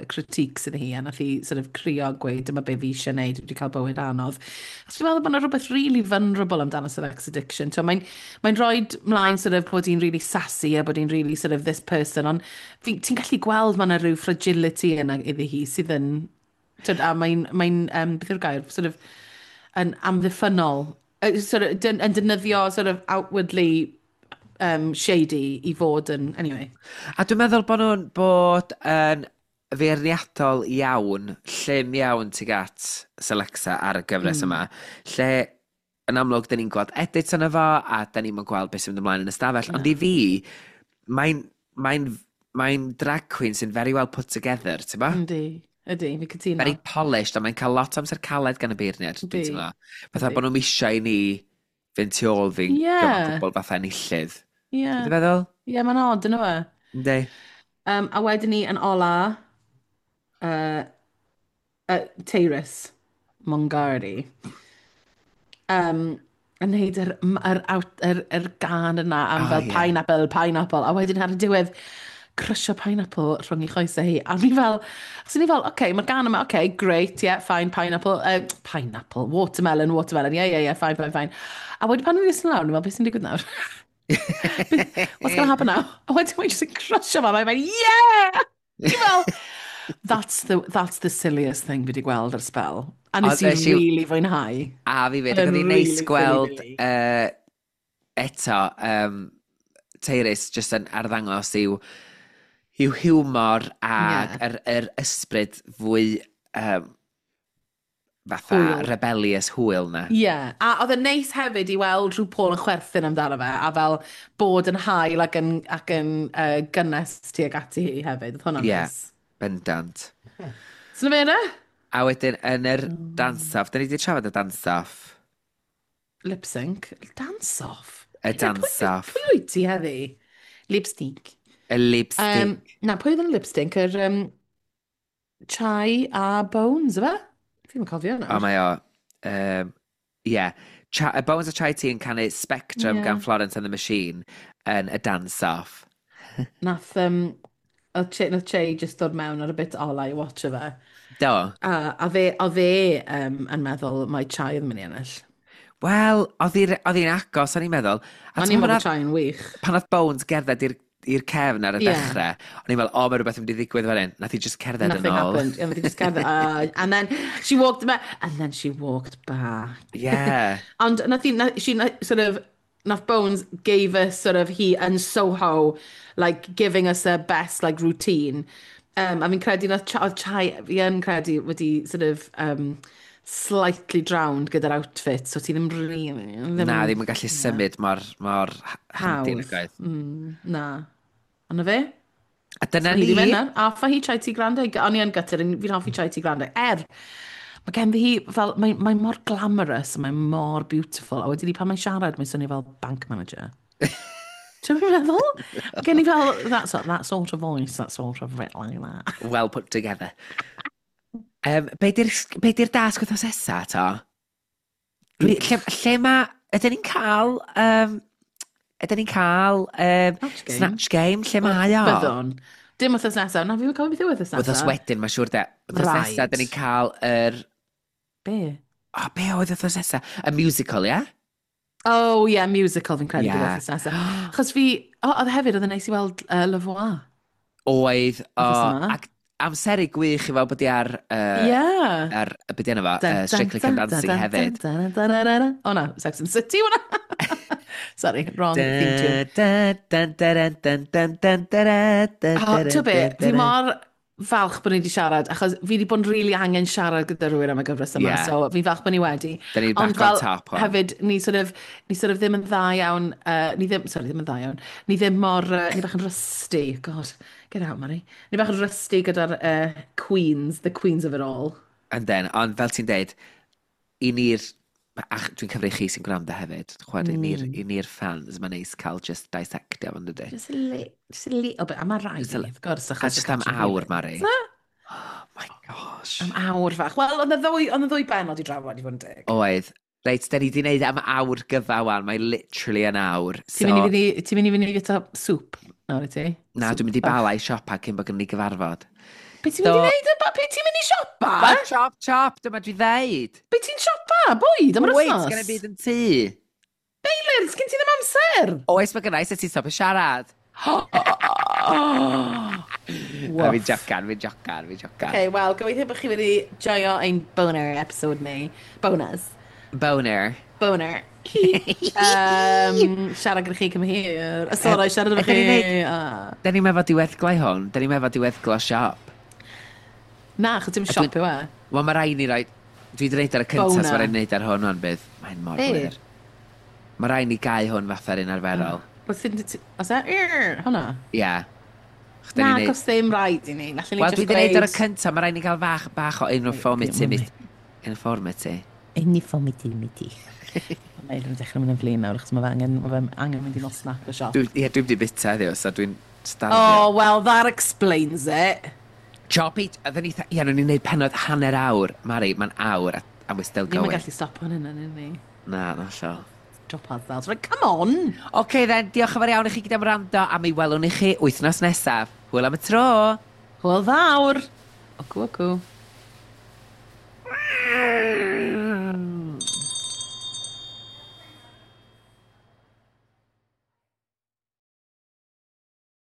critiques iddi hi, a nath hi sort of crio a gweud, "Dyma be fi eisiau gwneud, dwi wedi cael bywyd anodd." Achos dwi'n meddwl bod yna rhywbeth really vulnerable amdano Sex Addiction. So, mae'n rhoi mlaen sort of bod hi'n really sassy a bod hi'n really sort of this person, ond ti'n gallu gweld mae yna rhyw fragility yna iddi hi sydd yn, tyd, a mae'n, beth yw'r gair, sort of, yn amddiffynnol, sort of, yn defnyddio sort of outwardly shady i fod yn, anyway. A dwi'n meddwl bod nhw'n bod yn feirniadol iawn, llym iawn tuag at Selexa ar y gyfres yma, lle yn amlwg, dyn ni'n gweld edit yna fo, a dyn ni'n gweld beth sy'n mynd ymlaen yn y stafell. Ond i fi, mae'n drag queen sy'n very well put together, ti'n ba? Yndi, ydy, fi cytuno. Very polished, a mae'n cael lot o amser caled gan y beirniad, dwi'n teimlo. Fatha bod nhw'n eisiau i ni fynd tu ôl fi gymaint gwbl fatha enillydd. Ti'n feddwl? Ie, yeah, mae'n odd, yna fe. Yndi. A wedyn ni yn ola, Tyrus Mongardi. Yn neud yr gan yna am fel "Pineapple, pineapple." A wedyn ar y diwedd, crysio pineapple rhwng ei choesau hi. A ni fel, so ni fel, oce, okay, mae'r gan yma, oce, okay, great, yeah, fine, pineapple, pineapple, watermelon, watermelon, yeah, fine, fine, fine. A wedyn pan ni'n ddisgyn lawr, ni fel, "Beth sy'n digwydd nawr? What's going to happen now?" A wedyn mae'n just yn crysio fo, mae'n "Yeah!" Ti fel, that's the silliest thing fi wedi gweld ar spel. A nes i really fwynhau. A fi fyd, ac oedd hi'n neis gweld eto Tyrus just yn arddangos i'w hiwmor a yr ysbryd fwy fatha Hwyl. Rebellious hwyl na. Ie, yeah. A oedd e'n neis hefyd i weld rhyw Paul yn chwerthin amdano fe, a fel bod yn hael ac yn gynnes tuag ati hi hefyd. Oedd hwnna'n neis. Bendant. So na fe yna? A wedyn, yn yr dance-off, da ni wedi trafod y dance-off. Lip sync. Dance-off? Y dance-off. Pwy wyt ti heddi? Lip sync. Y lip sync. Na, pwy oedd yn lip sync? Yr Chai a Bones, yfe? Fi'n cofio O, nawr. mae o. Yeah. Bones a Chai Tea yn canu Spectrum gan Florence and the Machine yn y dance-off. Nath, oedd Che just dod mewn ar y bit ola i watch fe. Do. A oedd e yn meddwl mai Chai oedd yn mynd i ennill. Wel, oedd hi'n agos, o'n i'n meddwl. A O'n ti'n i'n meddwl meddwl Chai yn wych. Pan oedd Bones gerdded i'r cefn ar y dechrau, o'n i'n meddwl, "O, mae rhywbeth yn mynd i ddigwydd fan hyn." Nath hi just cerdded yn Nothing ôl. happened. Yeah, nath hi just cerdded. And then she walked back. And then she walked back. Ond nath hi, she sort of, nath Bones gave us sort of hi yn Soho, like giving us her best like routine. A fi'n credu nath oedd Chai, fi yn credu wedi sort of slightly drowned gyda'r outfit, so ti ddim really. Ddim, Na, ddim yn gallu symud mor handy Hawdd. nag oedd. Na. Ond na fe? A dyna Ni ni. di mynd nawr. A ffa hi Chai T Grande. O'n i yn gutted, fi'n hoffi Chai T Grande. Er, mae gen hi fel, mae mor glamorous, a mae mor beautiful. A wedyn ni pan mae'n siarad, mae'n swnio fel bank manager. Ti'n meddwl? Mae gen i fel, that sort of voice, that sort of bit like that. Well put together. Be di'r dasg wythnos nesa, to? Lle mae... Ydyn ni'n cael... Ydyn ni'n cael Snatch Game? Snatch Game? Lle mae o? Byddwn. Dim wythnos nesaf. Na, fi'n cofio beth yw wythnos nesaf. Wythnos wedyn, mae'n siŵr de. Wythnos nesaf, dyn ni'n cael yr. Be? O, be oedd wythnos nesaf? Y musical, ie? Yeah? Oh, yeah, musical fi'n credu bydd wythnos nesaf. Achos fi... O, oedd hefyd, oedd yn neis i weld La Voix. Oedd, o, Wythnos yma. ac amseru gwych i fel bod i ar, ar, be di enw fo, Strictly Come Dancing hefyd. O na, Sex and the City hwnna. Sorry, wrong theme tune. Oh, ti'n be, fi mor falch bod ni wedi siarad, achos fi wedi bod yn really angen siarad gyda rhywun am y gyfres yma, so fi'n falch bod ni wedi. Da ni Ond back on fel top hwn. Hefyd, ni sort of ddim yn dda iawn, ni ddim, sorry, ddim yn dda iawn, ni ddim mor, ni bach yn rusty, God, get out, Mari. Ni bach yn rusty gyda'r queens, the queens of it all. And then, ond fel ti'n deud, i ni'r... Ach, dwi'n cyfri chi sy'n gwrando hefyd. Chwarae, i ni'r fans, mae'n neis cael just dissectio fo'n dydy. Just a little bit, a mae rhaid Just a i ni, wrth gwrs, A achos just am awr, Mari. Oh my gosh. Am awr fach. Wel, oedd y ddwy benod i drafod i fod yn deg. Oedd. Reit, da ni wedi gwneud am awr gyfa wan. Mae literally yn awr. Ti'n mynd i fynd i, ti'n mynd i fynd i fita sŵp nawr i ti? Na, Sŵp dwi'n mynd i bach. Bala i siopa cyn bod gen ni gyfarfod. Be ti'n mynd i wneud? Be ti'n mynd i siopa? Ba, chop, chop, dyma dwi ddeud. Be ti'n siopa? Bwyd am yr Wait, wythnos? gen i byd yn tŷ. Meilir, sgyn ti ddim amser? Oes, mae gennau, sut ti'n stopio siarad? A fi'n jocan, fi'n jocan, fi'n jocan. Okay, wel, gobeithio bod chi wedi joio ein boner episode ni. Bonus. Boner. Boner. Siarad gyda chi cym hir. Sorry, siarad efo ydyn chi. ni'n neud- Ah. Da ni'n meddwl diweddglau hwn, da ni'n meddwl diweddglo siop. Na, achos dim A siop yw e. Wel, mae rhaid ni roi... Dwi wedi gwneud ar y cyntaf, so Boner. mae rhaid ni wneud ar hwn o'n bydd. Mae'n mor Be? blir. Mae rhaid ni gau hwn fatha'r un arferol. Oes e? Hwnna? Ie. Yeah. Da Na, ni'n neud- cos ddim rhaid i ni. Nallen ni Wel, just dwi wedi gwneud ar y gweud- cyntaf, mae rhaid ni gael fach, bach o uniformity. Wait, Uniformity. Uniformity. Mae Eilir yn dechrau mynd yn flin nawr, achos mae fe angen mynd i nosnac y siop. Ie, dwi'n wedi bita heddiw, so dwi'n starfio. Oh, well, that explains it. Choppy, oedden ni, ie, o'n i'n neud penod hanner awr. Mari, mae'n awr, and we're still Ni'n going. gallu stop hwn yna, ni. Na, na, allo. Drop ourselves. Right, come on! OK then, diolch yn fawr iawn i chi gyda am wrando, a mi welwn i chi wythnos nesaf. Hwyl am y tro! Hwyl fawr! Ocw, ocw.